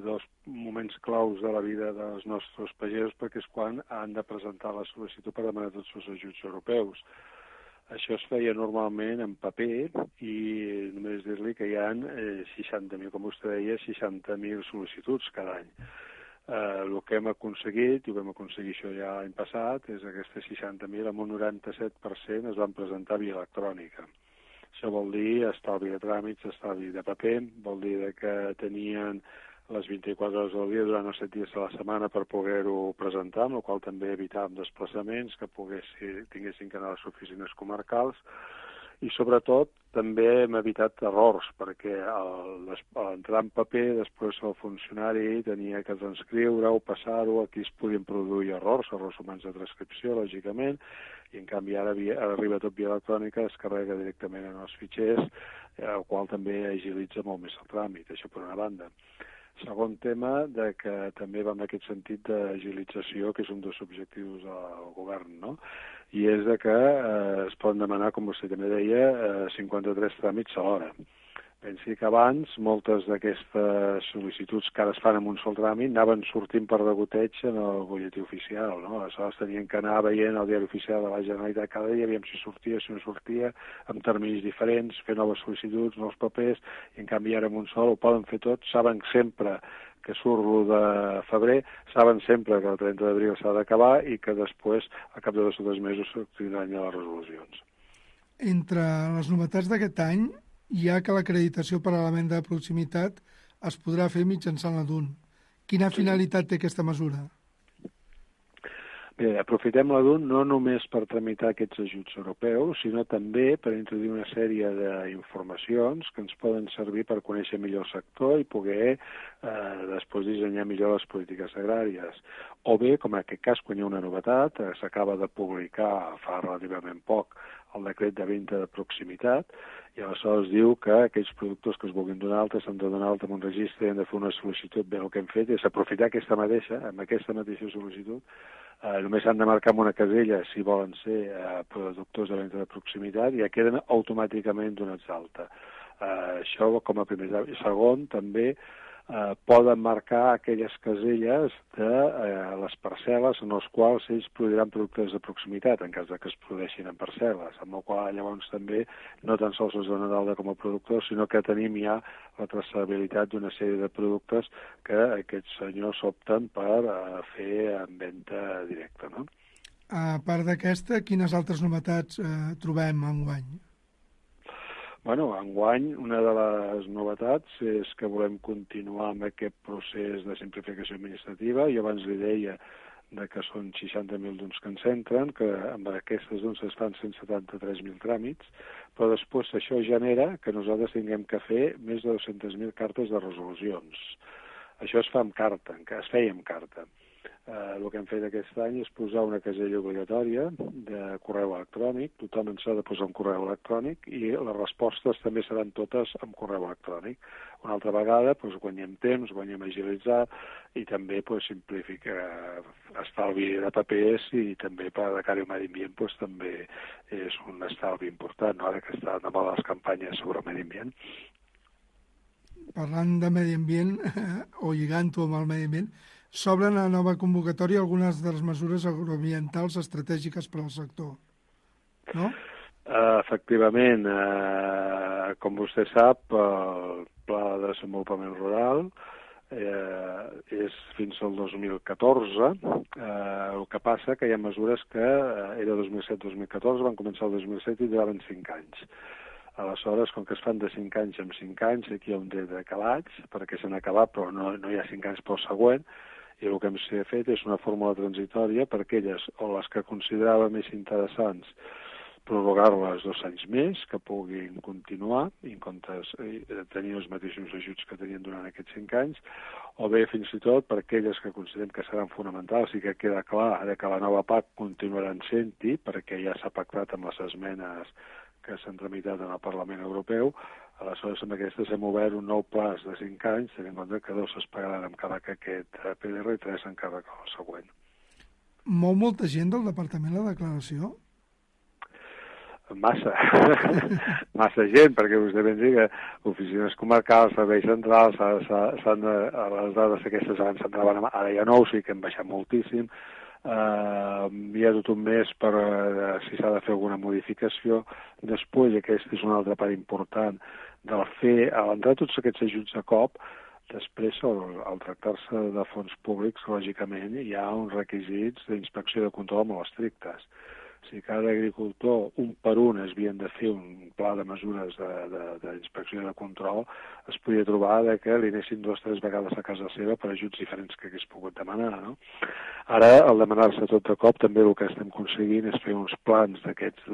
dels moments claus de la vida dels nostres pagesos perquè és quan han de presentar la sol·licitud per demanar tots els ajuts europeus. Això es feia normalment en paper i només dir-li que hi ha seixanta mil, com vostè deia, seixanta mil sol·licituds cada any. Eh, el que hem aconseguit, i ho vam aconseguir això ja l'any passat, és aquestes seixanta mil, amb un noranta-set per cent es van presentar via electrònica. Això vol dir estalvi de tràmits, estalvi de paper, vol dir que tenien les vint-i-quatre hores del dia durant els set dies de la setmana per poder-ho presentar, amb la qual també evitàvem desplaçaments, que poguessin, tinguessin que anar a les oficines comarcals, i sobretot també hem evitat errors, perquè l'entrar en paper, després el funcionari tenia que transcriure-ho, passar-ho, aquí es podien produir errors, errors humans de transcripció, lògicament, i en canvi ara, ara arriba tot via electrònica, es carrega directament en els fitxers, el qual també agilitza molt més el tràmit, això per una banda. Segon tema, de que també va en aquest sentit d'agilització, que és un dels objectius del govern, no? I és de que eh, es poden demanar, com vostè també deia, eh, cinquanta-tres tràmits alhora. Pensi que abans moltes d'aquestes sol·licituds que ara es fan en un sol tràmit anaven sortint per degoteig en el butlletí oficial, no? Aleshores tenien que anar veient el diari oficial de la Generalitat cada dia, aviam si sortia, si no sortia, amb terminis diferents, fer noves sol·licituds, nous papers, i en canvi ara en un sol ho poden fer tot, saben sempre que surt l'u de febrer, saben sempre que el trenta d'abril s'ha d'acabar i que després, a cap de dos o tres mesos, s'obtindran ja les resolucions. Entre les novetats d'aquest any, hi ha que l'acreditació per a la venda de proximitat es podrà fer mitjançant la D U N. Quina finalitat té aquesta mesura? Bé, aprofitem la D U N no només per tramitar aquests ajuts europeus, sinó també per introduir una sèrie d'informacions que ens poden servir per conèixer millor el sector i poder eh, després dissenyar millor les polítiques agràries. O bé, com en aquest cas, quan hi ha una novetat, eh, s'acaba de publicar fa relativament poc el decret de venda de proximitat, i aleshores diu que aquells productors que es vulguin donar alta s'han de donar alta en un registre i han de fer una sol·licitud. Bé, el que hem fet és aprofitar aquesta mateixa, amb aquesta mateixa sol·licitud, eh, només han de marcar en una casella si volen ser eh, productors de venda de proximitat i ja queden automàticament donats d'alta. Eh, això com a primer. I segon, també eh, poden marcar aquelles caselles de eh, les parcel·les en les quals ells produiran productes de proximitat, en cas de que es produeixin en parcel·les, amb la qual llavors també no tan sols es dona d'alta com a productors, sinó que tenim ja la traçabilitat d'una sèrie de productes que aquests senyors opten per eh, fer en venda directa, no? A part d'aquesta, quines altres novetats eh, trobem enguany? Bueno, enguany una de les novetats és que volem continuar amb aquest procés de simplificació administrativa. Jo abans li deia de que són seixanta mil D U Ns que ens entren, que amb aquestes D U Ns es fan cent setanta-tres mil tràmits, però després això genera que nosaltres tinguem que fer més de dues-centes mil cartes de resolucions. Això es fa amb carta, es feia amb carta. Eh, el que hem fet aquest any és posar una casella obligatòria de correu electrònic, tothom ens ha de posar un correu electrònic i les respostes també seran totes amb correu electrònic. Una altra vegada doncs, guanyem temps, guanyem agilitzar i també doncs, simplifica estalvi de papers i també per a cara al medi ambient doncs, també és un estalvi important, no? Ara que estan de moda les campanyes sobre el medi ambient. Parlant de medi ambient, o lligant-ho amb el medi ambient, s'obren a nova convocatòria algunes de les mesures agroambientals estratègiques per al sector, no? Uh, efectivament, uh, com vostè sap, el Pla de Desenvolupament Rural eh, és fins al dos mil catorze. Eh, el que passa que hi ha mesures que eh, era dos mil set dos mil catorze, van començar el dos mil set i duraven cinc anys. Aleshores, com que es fan de cinc anys en cinc anys, aquí hi ha un de decalats, perquè s'han acabat, però no, no hi ha cinc anys pel següent, i el que hem fet és una fórmula transitòria per aquelles o les que considerava més interessants prorrogar-les dos anys més, que puguin continuar, i en comptes de tenir els mateixos ajuts que tenien durant aquests cinc anys, o bé fins i tot per aquelles que considerem que seran fonamentals i que queda clar que la nova P A C continuaran sent-hi, perquè ja s'ha pactat amb les esmenes que s'han tramitat en el Parlament Europeu. Aleshores, amb aquestes hem obert un nou plaç de cinc anys, tenint en compte que dos es pagaran amb càrrec aquest P D R i tres en càrrec al següent. Mou molta gent del Departament la declaració? Massa, massa gent, perquè vostè pensi que oficines comarcals, serveis centrals, s'han de, les dades aquestes abans s'entraven, ara ja no, o sigui que hem baixat moltíssim. Uh, hi ha tot un mes per uh, si s'ha de fer alguna modificació. Després, i aquesta és una altra part important, del fer, a l'entrar tots aquests ajuts de cop, després, al, al tractar-se de fons públics, lògicament, hi ha uns requisits d'inspecció i de control molt estrictes. Si cada agricultor, un per un, es havien de fer un pla de mesures d'inspecció i de control, es podia trobar de que li anessin dues o tres vegades a casa seva per ajuts diferents que hagués pogut demanar, no? Ara, al demanar-se tot de cop, també el que estem aconseguint és fer uns plans d'aquests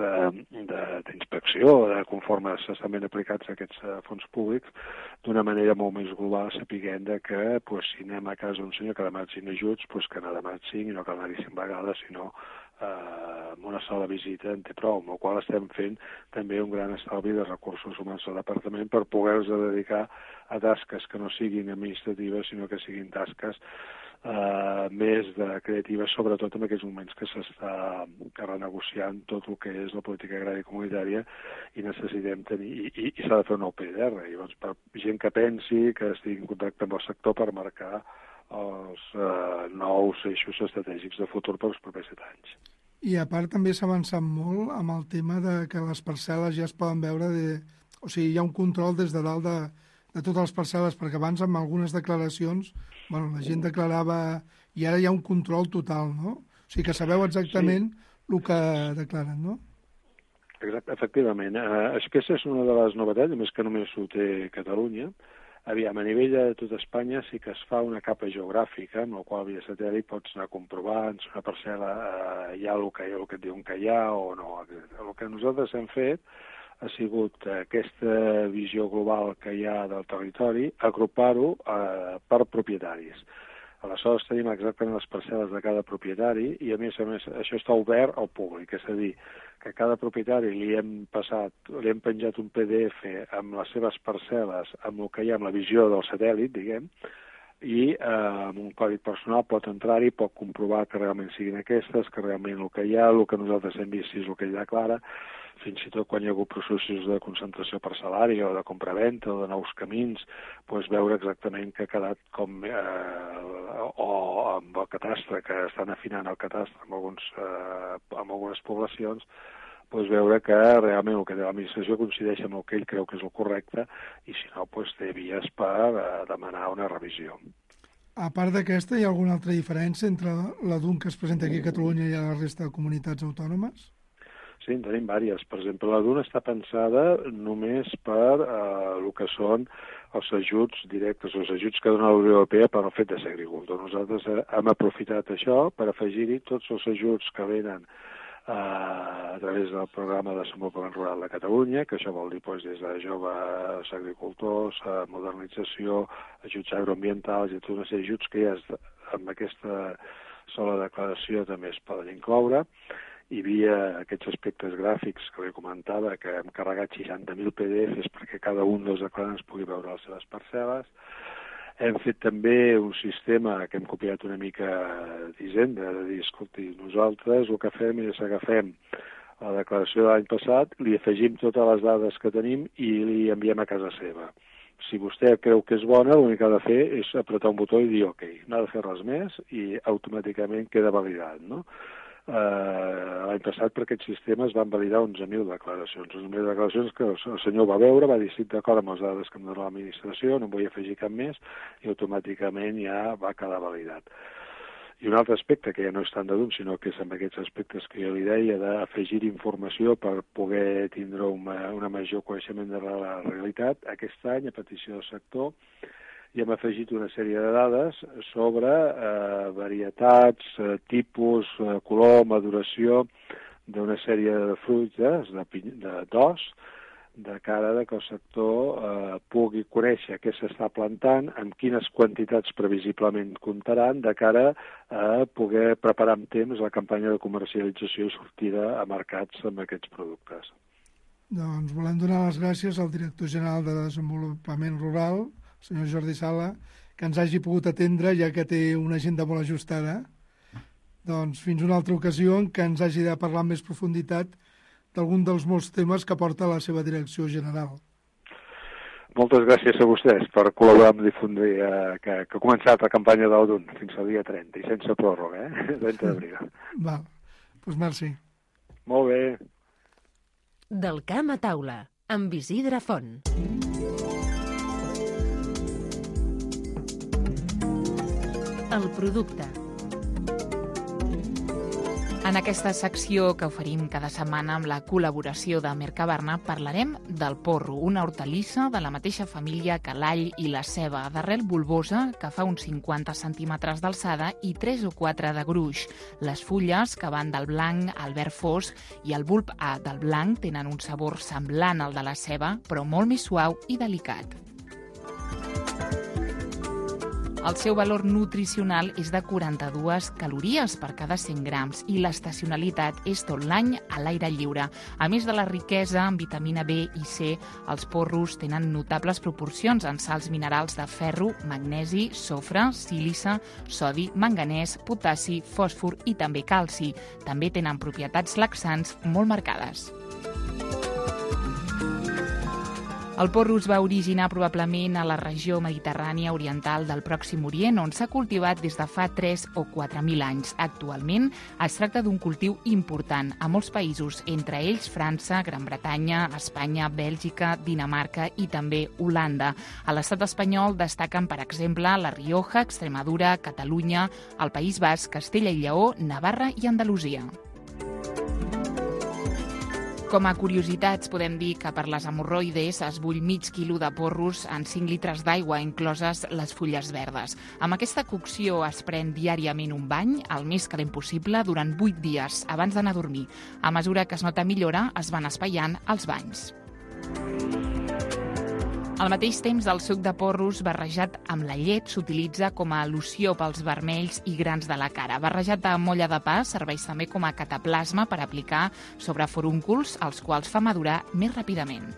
d'inspecció, de, de, conforme s'estan ben aplicats aquests uh, fons públics, d'una manera molt més global, sapiguent de que pues, si anem a casa un senyor que ha demanat cinc ajuts, pues, que n'ha demanat cinc i no cal anar-hi cinc vegades, sinó Uh, amb una sola visita en té prou, amb el qual estem fent també un gran estalvi de recursos humans al departament per poder-los dedicar a tasques que no siguin administratives, sinó que siguin tasques uh, més de creatives, sobretot en aquests moments que s'està renegociant tot el que és la política agrària comunitària i necessitem tenir, i, i, i s'ha de fer un nou P D R, i llavors per gent que pensi, que estigui en contacte amb el sector per marcar els uh, nous eixos estratègics de futur per als propers set anys. I a part també s'ha avançat molt amb el tema de que les parcel·les ja es poden veure, de, o sigui, hi ha un control des de dalt de, de totes les parcel·les, perquè abans amb algunes declaracions, bueno, la gent declarava i ara hi ha un control total, no? O sigui que sabeu exactament sí. el que declaren, no? Exacte, efectivament. Uh, aquesta és una de les novetats, a més que només ho té Catalunya. Aviam, a nivell de tot Espanya sí que es fa una capa geogràfica, amb la qual via satèl·lit pots anar comprovant si una parcel·la eh, hi ha el que, el que et diuen que hi ha o no. El que nosaltres hem fet ha sigut aquesta visió global que hi ha del territori, agrupar-ho eh, per propietaris. Aleshores tenim exactament les parcel·les de cada propietari i, a més a més, això està obert al públic, és a dir, que a cada propietari li hem passat, li hem penjat un P D F amb les seves parcel·les, amb el que hi ha, amb la visió del satèl·lit, diguem, i eh, amb un codi personal pot entrar-hi, pot comprovar que realment siguin aquestes, que realment el que hi ha, el que nosaltres hem vist és el que ell declara, fins i tot quan hi ha hagut processos de concentració parcel·lària o de compraventa o de nous camins, doncs veure exactament que ha quedat com, eh, o amb el catastre, que estan afinant el catastre amb, alguns, eh, amb algunes poblacions, doncs veure que realment el que té l'administració coincideix amb el que ell creu que és el correcte i si no, doncs té vies per eh, demanar una revisió. A part d'aquesta, hi ha alguna altra diferència entre la D U N que es presenta aquí a Catalunya i a la resta de comunitats autònomes? Sí, en tenim diverses. Per exemple, la D U N està pensada només per eh, el que són els ajuts directes, els ajuts que dona la Unió Europea per al fet de ser agricultor. Nosaltres hem aprofitat això per afegir-hi tots els ajuts que venen eh, a través del programa de desenvolupament rural de Catalunya, que això vol dir doncs, des de joves agricultors, a modernització, ajuts agroambientals i tota una sèrie d'ajuts que ja amb aquesta sola declaració també es poden incloure. Hi havia aquests aspectes gràfics que li comentava, que hem carregat seixanta mil P D Fs perquè cada un dels declarants pugui veure les seves parcel·les. Hem fet també un sistema que hem copiat una mica d'Hisenda, de dir, escolti, nosaltres el que fem és agafem la declaració de l'any passat, li afegim totes les dades que tenim i li enviem a casa seva. Si vostè creu que és bona, l'únic que ha de fer és apretar un botó i dir ok, no ha de fer res més i automàticament queda validat, no? eh, l'any passat per aquest sistema es van validar onze mil declaracions. onze mil declaracions que el senyor va veure, va dir estic d'acord amb les dades que em dona l'administració, no en vull afegir cap més, i automàticament ja va quedar validat. I un altre aspecte, que ja no és tant de d'un, sinó que és amb aquests aspectes que jo li deia, d'afegir informació per poder tindre una, una major coneixement de la realitat, aquest any, a petició del sector, i hem afegit una sèrie de dades sobre eh, varietats, eh, tipus, eh, color, maduració d'una sèrie de fruites, de d'os, de cara de que el sector eh, pugui conèixer què s'està plantant, amb quines quantitats previsiblement comptaran, de cara a poder preparar amb temps la campanya de comercialització i sortida a mercats amb aquests productes. Doncs volem donar les gràcies al director general de Desenvolupament Rural, el senyor Jordi Sala, que ens hagi pogut atendre, ja que té una agenda molt ajustada. Doncs fins una altra ocasió en què ens hagi de parlar amb més profunditat d'algun dels molts temes que porta la seva direcció general. Moltes gràcies a vostès per col·laborar amb difundir eh, que, que ha començat la campanya del D U N fins al dia trenta i sense pròrroga, eh? trenta d'abril. Val, doncs merci. Molt bé. Del camp a taula, amb Isidre Font. El producte. En aquesta secció que oferim cada setmana amb la col·laboració de Mercabarna parlarem del porro, una hortalissa de la mateixa família que l'all i la ceba, d'arrel bulbosa que fa uns cinquanta centímetres d'alçada i tres o quatre de gruix. Les fulles, que van del blanc al verd fosc, i el bulb A del blanc tenen un sabor semblant al de la ceba, però molt més suau i delicat. El seu valor nutricional és de quaranta-dues calories per cada cent grams i l'estacionalitat és tot l'any a l'aire lliure. A més de la riquesa en vitamina B i C, els porros tenen notables proporcions en sals minerals de ferro, magnesi, sofre, sílice, sodi, manganès, potassi, fòsfor i també calci. També tenen propietats laxants molt marcades. El porro es va originar probablement a la regió mediterrània oriental del Pròxim Orient, on s'ha cultivat des de fa tres o quatre mil anys. Actualment es tracta d'un cultiu important a molts països, entre ells França, Gran Bretanya, Espanya, Bèlgica, Dinamarca i també Holanda. A l'estat espanyol destaquen, per exemple, La Rioja, Extremadura, Catalunya, el País Basc, Castella i Lleó, Navarra i Andalusia. Com a curiositats, podem dir que per les hemorroides es bull mig quilo de porros en cinc litres d'aigua, incloses les fulles verdes. Amb aquesta cocció es pren diàriament un bany, el més calent possible, durant vuit dies, abans d'anar a dormir. A mesura que es nota millora, es van espaiant els banys. Al mateix temps, el suc de porros barrejat amb la llet s'utilitza com a loció pels vermells i grans de la cara. Barrejat amb olla de pa serveix també com a cataplasma per aplicar sobre forúnculs, els quals fa madurar més ràpidament.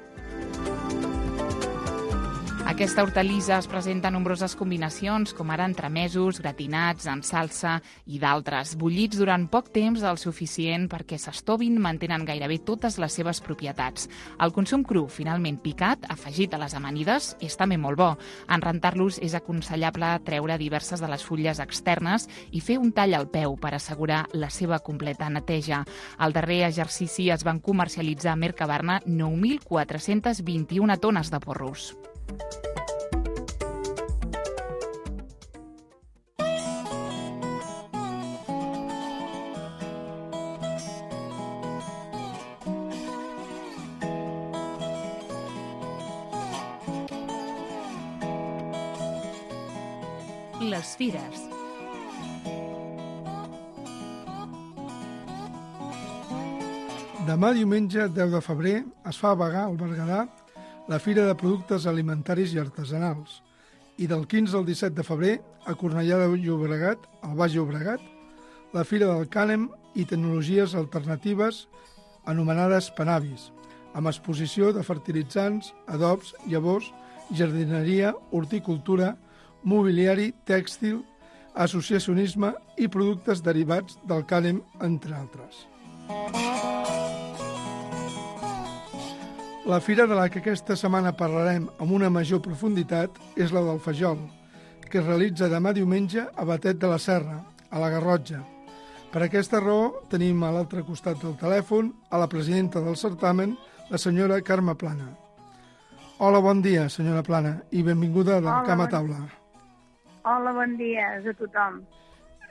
Aquesta hortalissa es presenta en nombroses combinacions, com ara entremesos, gratinats, en salsa i d'altres. Bullits durant poc temps, el suficient perquè s'estovin, mantenen gairebé totes les seves propietats. El consum cru, finalment picat, afegit a les amanides, és també molt bo. En rentar-los és aconsellable treure diverses de les fulles externes i fer un tall al peu per assegurar la seva completa neteja. Al darrer exercici es van comercialitzar a Mercabarna nou mil quatre-cents vint-i-una tones de porros. Les fires. Demà diumenge, deu de febrer, es fa a Bagà, al Berguedà, la Fira de Productes Alimentaris i Artesanals. I del quinze al disset de febrer, a Cornellà de Llobregat, al Baix Llobregat, la Fira del Cànem i Tecnologies Alternatives, anomenades Panavis, amb exposició de fertilitzants, adobs, llavors, jardineria, horticultura, mobiliari, tèxtil, associacionisme i productes derivats del cànem, entre altres. La fira de la que aquesta setmana parlarem amb una major profunditat és la del Fajol, que es realitza demà diumenge a Batet de la Serra, a la Garrotxa. Per aquesta raó tenim a l'altre costat del telèfon a la presidenta del certamen, la senyora Carme Plana. Hola, bon dia, senyora Plana, i benvinguda del Hola, Camp a bon... Taula. Hola, bon dia a tothom.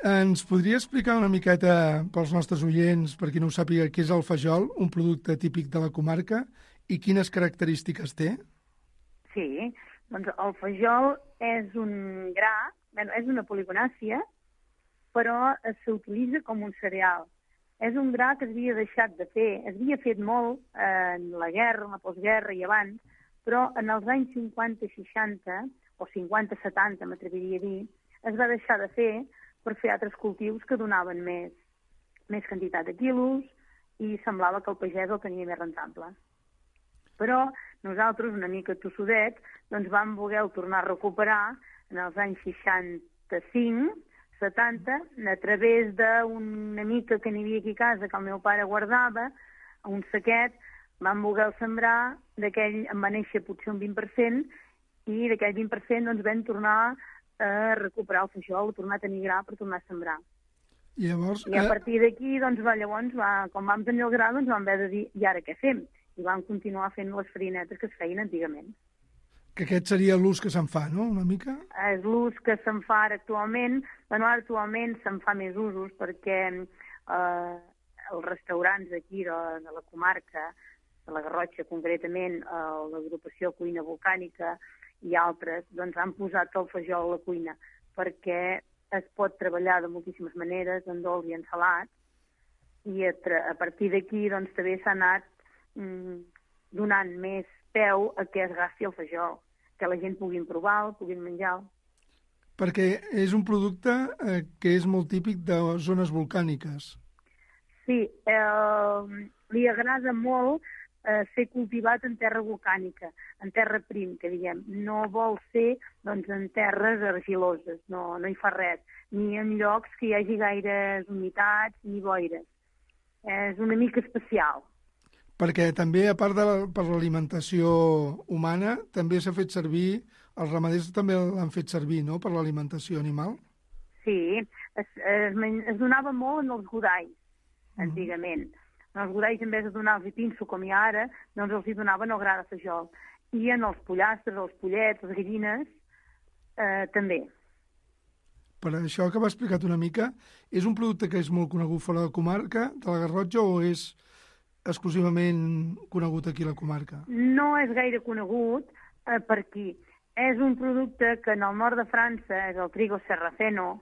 Ens podria explicar una miqueta pels nostres oients, per qui no ho sàpiga, què és el fajol, un producte típic de la comarca, i quines característiques té? Sí, doncs el fajol és un gra, bueno, és una poligonàcia, però s'utilitza com un cereal. És un gra que s'havia deixat de fer, es havia fet molt en la guerra, en la postguerra i abans, però en els anys cinquanta i seixanta, o cinquanta setanta, m'atreviria a dir, es va deixar de fer per fer altres cultius que donaven més, més quantitat de quilos i semblava que el pagès el tenia més rentable. Però nosaltres, una mica tossudets, doncs vam voler tornar a recuperar en els anys seixanta-cinc, setanta, a través d'una mica que n'hi havia aquí a casa que el meu pare guardava, un saquet, vam voler sembrar, d'aquell en va néixer potser un vint per cent, i d'aquell vint per cent doncs vam tornar a recuperar el fajol, a tornar a tenir gra per tornar a sembrar. I, llavors, I a partir d'aquí, doncs, va, llavors, va, quan vam tenir el gra, doncs vam haver de dir, i ara què fem? I vam continuar fent les farinetes que es feien antigament. Que aquest seria l'ús que se'n fa, no?, una mica? És l'ús que se'n fa ara actualment. Bueno, ara actualment se'n fa més usos perquè eh, els restaurants d'aquí, de, de la comarca, de la Garrotxa concretament, eh, l'agrupació Cuina Volcànica i altres, doncs han posat el fajol a la cuina perquè es pot treballar de moltíssimes maneres, en dolç i en salat, i a, a partir d'aquí doncs també s'ha anat mm, donant més peu a que es gasti el fajol, que la gent puguin provar, puguin menjar. Perquè és un producte eh, que és molt típic de zones volcàniques. Sí, eh, li agrada molt eh, ser cultivat en terra volcànica, en terra prim, que diguem. No vol ser doncs, en terres argiloses, no, no hi fa res, ni en llocs que hi hagi gaires humitats ni boires. És una mica especial. Perquè també, a part de la, per l'alimentació humana, també s'ha fet servir, els ramaders també l'han fet servir, no?, per l'alimentació animal? Sí, es, es, es donava molt en els godalls, antigament. Mm. En els godalls, en vez de donar-los pinso, com hi ha ara, doncs els hi donaven el gra de fajol. I en els pollastres, els pollets, les gallines, eh, també. Per això que m'ha explicat una mica, és un producte que és molt conegut fora de la comarca, de la Garrotxa, o és exclusivament conegut aquí a la comarca? No és gaire conegut eh, per aquí. És un producte que en el nord de França és el trigo sarraceno,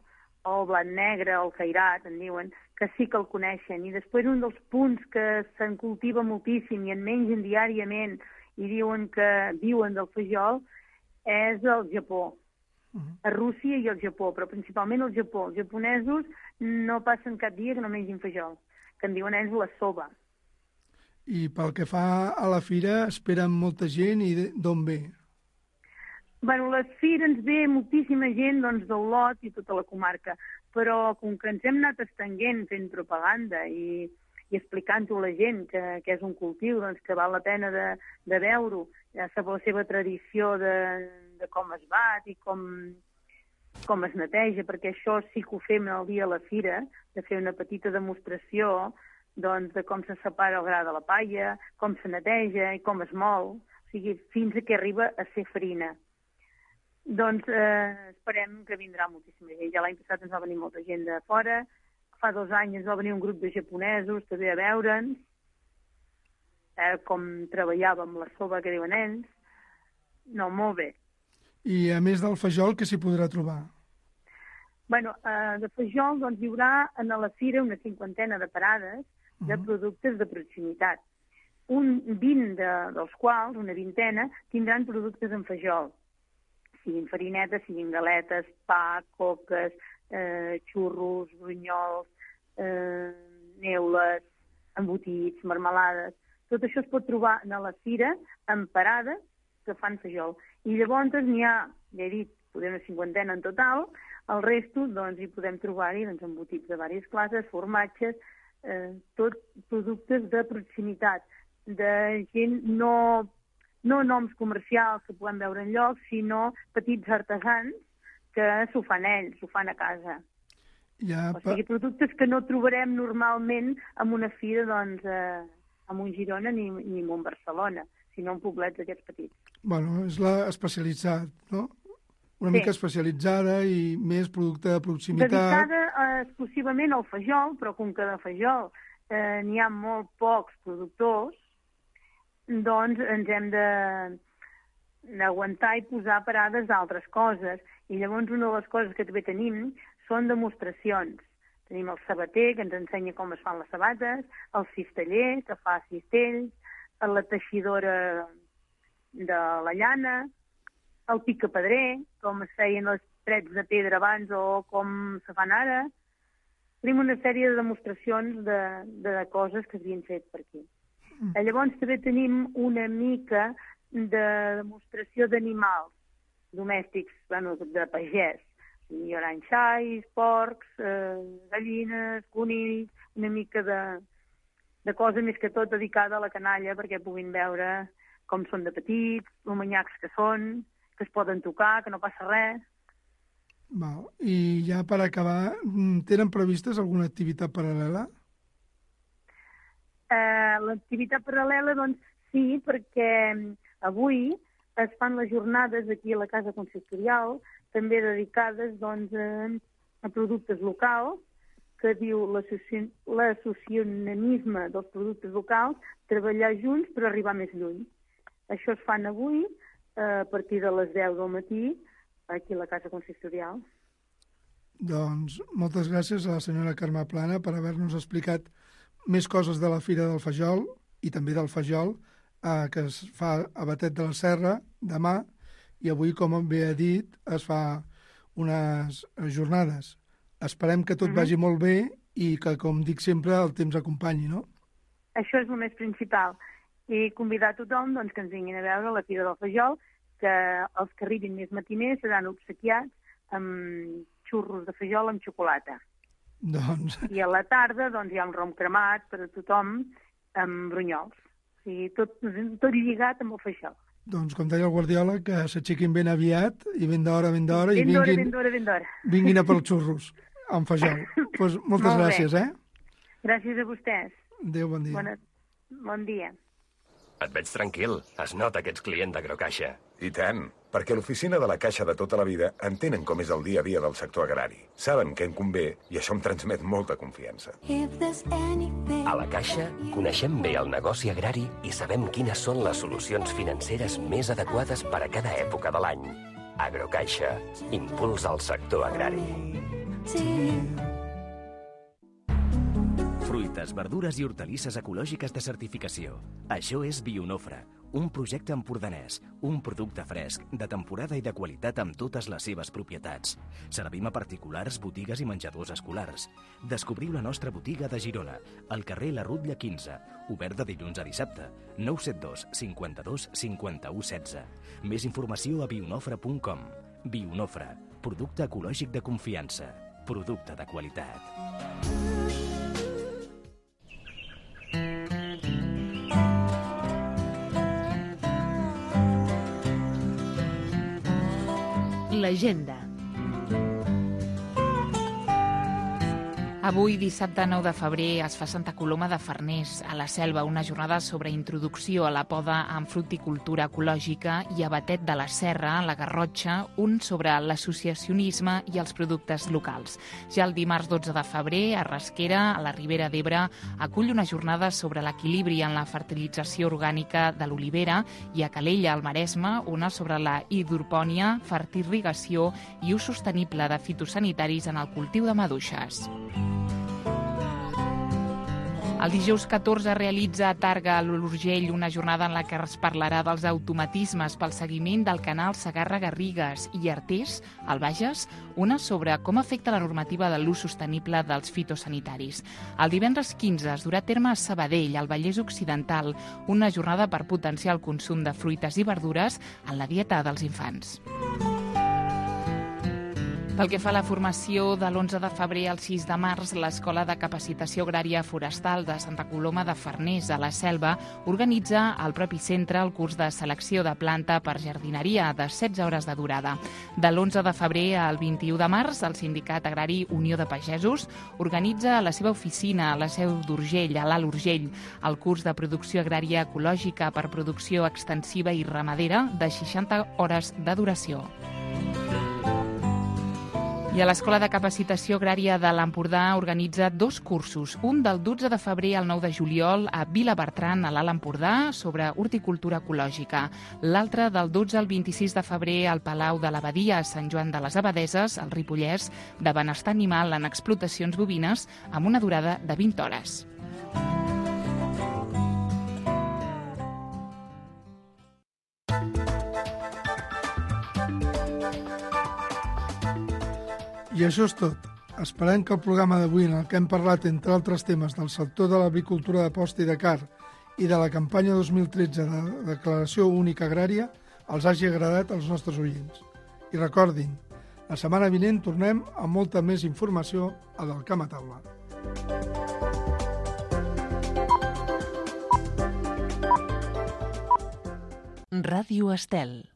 o el blat negre, o el cairat, en diuen, que sí que el coneixen. I després un dels punts que se'n cultiva moltíssim i en mengen diàriament i diuen que viuen del fajol és el Japó. Uh-huh. A Rússia i el Japó, però principalment el Japó. Els japonesos no passen cap dia que no mengin fajol, que en diuen ells la soba. I pel que fa a la fira, esperen molta gent i d'on ve? Bueno, la fira ens ve moltíssima gent doncs, d'Olot i tota la comarca, però com que ens hem anat estenguent fent propaganda i, i explicant-ho a la gent que, que és un cultiu doncs, que val la pena de, de veure-ho, ja sap la seva tradició de, de com es bat i com, com es neteja, perquè això sí que ho fem el dia a la fira, de fer una petita demostració doncs, de com se separa el gra de la palla, com se neteja i com es mol, o sigui, fins a que arriba a ser farina. Doncs eh, esperem que vindrà moltíssima gent. Ja l'any passat ens va venir molta gent de fora, fa dos anys ens va venir un grup de japonesos també a veure'ns, eh, com treballàvem la soba que diuen ells. No, molt bé. I a més del fajol, què s'hi podrà trobar? Bueno, eh, de fajol doncs, hi haurà a la fira una cinquantena de parades de uh-huh. productes de proximitat. Un vint de, dels quals, una vintena, tindran productes en fajol. Siguin farinetes, siguin galetes, pa, coques, eh, xurros, brunyols, eh, neules, embotits, marmelades. Tot això es pot trobar a la fira en parades que fan fajol. I llavors n'hi ha, ja he dit, podem una cinquantena en total, el resto doncs, hi podem trobar-hi doncs, embotits de diverses classes, formatges, eh, tot productes de proximitat, de gent no, no noms comercials que podem veure en llocs, sinó petits artesans que s'ho fan ells, s'ho fan a casa. Ja, o sigui, productes que no trobarem normalment en una fira, doncs, eh, en un Girona ni, ni en un Barcelona, sinó en poblets d'aquests petits. Bueno, és la especialitzat, no? Una Sí. mica especialitzada i més producte de proximitat. Dedicada eh, exclusivament al fajol, però com que de fajol eh, n'hi ha molt pocs productors, doncs ens hem de d'aguantar i posar parades d'altres coses. I llavors una de les coses que també tenim són demostracions. Tenim el sabater, que ens ensenya com es fan les sabates, el cisteller, que fa cistells, la teixidora de la llana, el picapedrer, com es feien els trets de pedra abans o com se fan ara. Tenim una sèrie de demostracions de, de coses que s'havien fet per aquí. Mm. Llavors també tenim una mica de demostració d'animals domèstics, bueno, de pagès. Hi haurà xais, porcs, eh, gallines, conills, una mica de, de cosa més que tot dedicada a la canalla perquè puguin veure com són de petits, els manyacs que són, que es poden tocar, que no passa res. Val. I ja per acabar, tenen previstes alguna activitat paral·lela? Eh, L'activitat paral·lela, doncs, sí, perquè avui es fan les jornades aquí a la Casa Consistorial, també dedicades doncs, a, a productes locals, que diu l'associacionisme dels productes locals, treballar junts per arribar més lluny. Això es fan avui a partir de les deu del matí aquí a la Casa Consistorial. Doncs moltes gràcies a la senyora Carme Plana per haver-nos explicat més coses de la Fira del Fajol i també del Fajol eh, que es fa a Batet de la Serra demà i avui, com bé ha dit, es fa unes jornades. Esperem que tot uh-huh. vagi molt bé i que, com dic sempre, el temps acompanyi, no? Això és el més principal. I convidar a tothom doncs, que ens vinguin a veure la Fira del Fajol, que els que arribin més matiners seran obsequiats amb xurros de fajol amb xocolata. Doncs... I a la tarda doncs, hi ha un rom cremat per a tothom amb brunyols. O sigui, tot, tot lligat amb el fajol. Doncs, com deia el Guardiola, que s'aixequin ben aviat i ben d'hora, ben d'hora, i ben d'hora, vinguin, ben d'hora, ben d'hora. vinguin a pels xurros amb fajol. Pues moltes Molt gràcies, bé. eh? Gràcies a vostès. Adéu, bon dia. Bona... Bon dia. Et veig tranquil. Es nota que ets client d'Agrocaixa. I tant, perquè l'oficina de la Caixa de tota la vida entenen com és el dia a dia del sector agrari. Saben què en convé i això em transmet molta confiança. A la Caixa coneixem bé el negoci agrari i sabem quines són les solucions financeres més adequades per a cada època de l'any. Agrocaixa, impuls al sector agrari. Fruites, verdures i hortalisses ecològiques de certificació. Això és Bionofre, un projecte empordanès, un producte fresc, de temporada i de qualitat amb totes les seves propietats. Servim a particulars, botigues i menjadors escolars. Descobriu la nostra botiga de Girona, al carrer La Rutlla quinze, obert de dilluns a dissabte, nou set dos cinquanta-dos cinquanta-u setze. Més informació a bionofre punt com. Bionofre, producte ecològic de confiança, producte de qualitat. L'agenda. Avui, dissabte nou de febrer, es fa Santa Coloma de Farners, a la Selva, una jornada sobre introducció a la poda en fruticultura ecològica, i a Batet de la Serra, a la Garrotxa, un sobre l'associacionisme i els productes locals. Ja el dimarts dotze de febrer, a Rasquera, a la Ribera d'Ebre, acull una jornada sobre l'equilibri en la fertilització orgànica de l'olivera, i a Calella, al Maresme, una sobre la hidropònia, fertirrigació i ús sostenible de fitosanitaris en el cultiu de maduixes. El dijous catorze realitza a Targa, a l'Urgell, una jornada en la que es parlarà dels automatismes pel seguiment del canal Segarra-Garrigues, i Artés, al Bages, una sobre com afecta la normativa de l'ús sostenible dels fitosanitaris. El divendres quinze es durà a terme a Sabadell, al Vallès Occidental, una jornada per potenciar el consum de fruites i verdures en la dieta dels infants. Pel que fa a la formació, de l'onze de febrer al sis de març, l'Escola de Capacitació Agrària Forestal de Santa Coloma de Farners, a la Selva, organitza al propi centre el curs de selecció de planta per jardineria de setze hores de durada. De l'onze de febrer al vint-i-u de març, el Sindicat Agrari Unió de Pagesos organitza a la seva oficina a la Seu d'Urgell, a l'Alt Urgell, el curs de producció agrària ecològica per producció extensiva i ramadera de seixanta hores de duració. I a l'Escola de Capacitació Agrària de l'Empordà organitza dos cursos, un del dotze de febrer al nou de juliol a Vilabertran, a l'Alt Empordà, sobre horticultura ecològica. L'altre del dotze al vint-i-sis de febrer al Palau de l'Abadia a Sant Joan de les Abadeses, al Ripollès, de benestar animal en explotacions bovines amb una durada de vint hores. I això és tot. Esperem que el programa d'avui, en el que hem parlat, entre altres temes, del sector de l'agricultura de posta i de car i de la campanya dos mil tretze de Declaració Única Agrària, els hagi agradat als nostres oients. I recordin, la setmana vinent tornem amb molta més informació a del Camp a Taula. Ràdio Estel.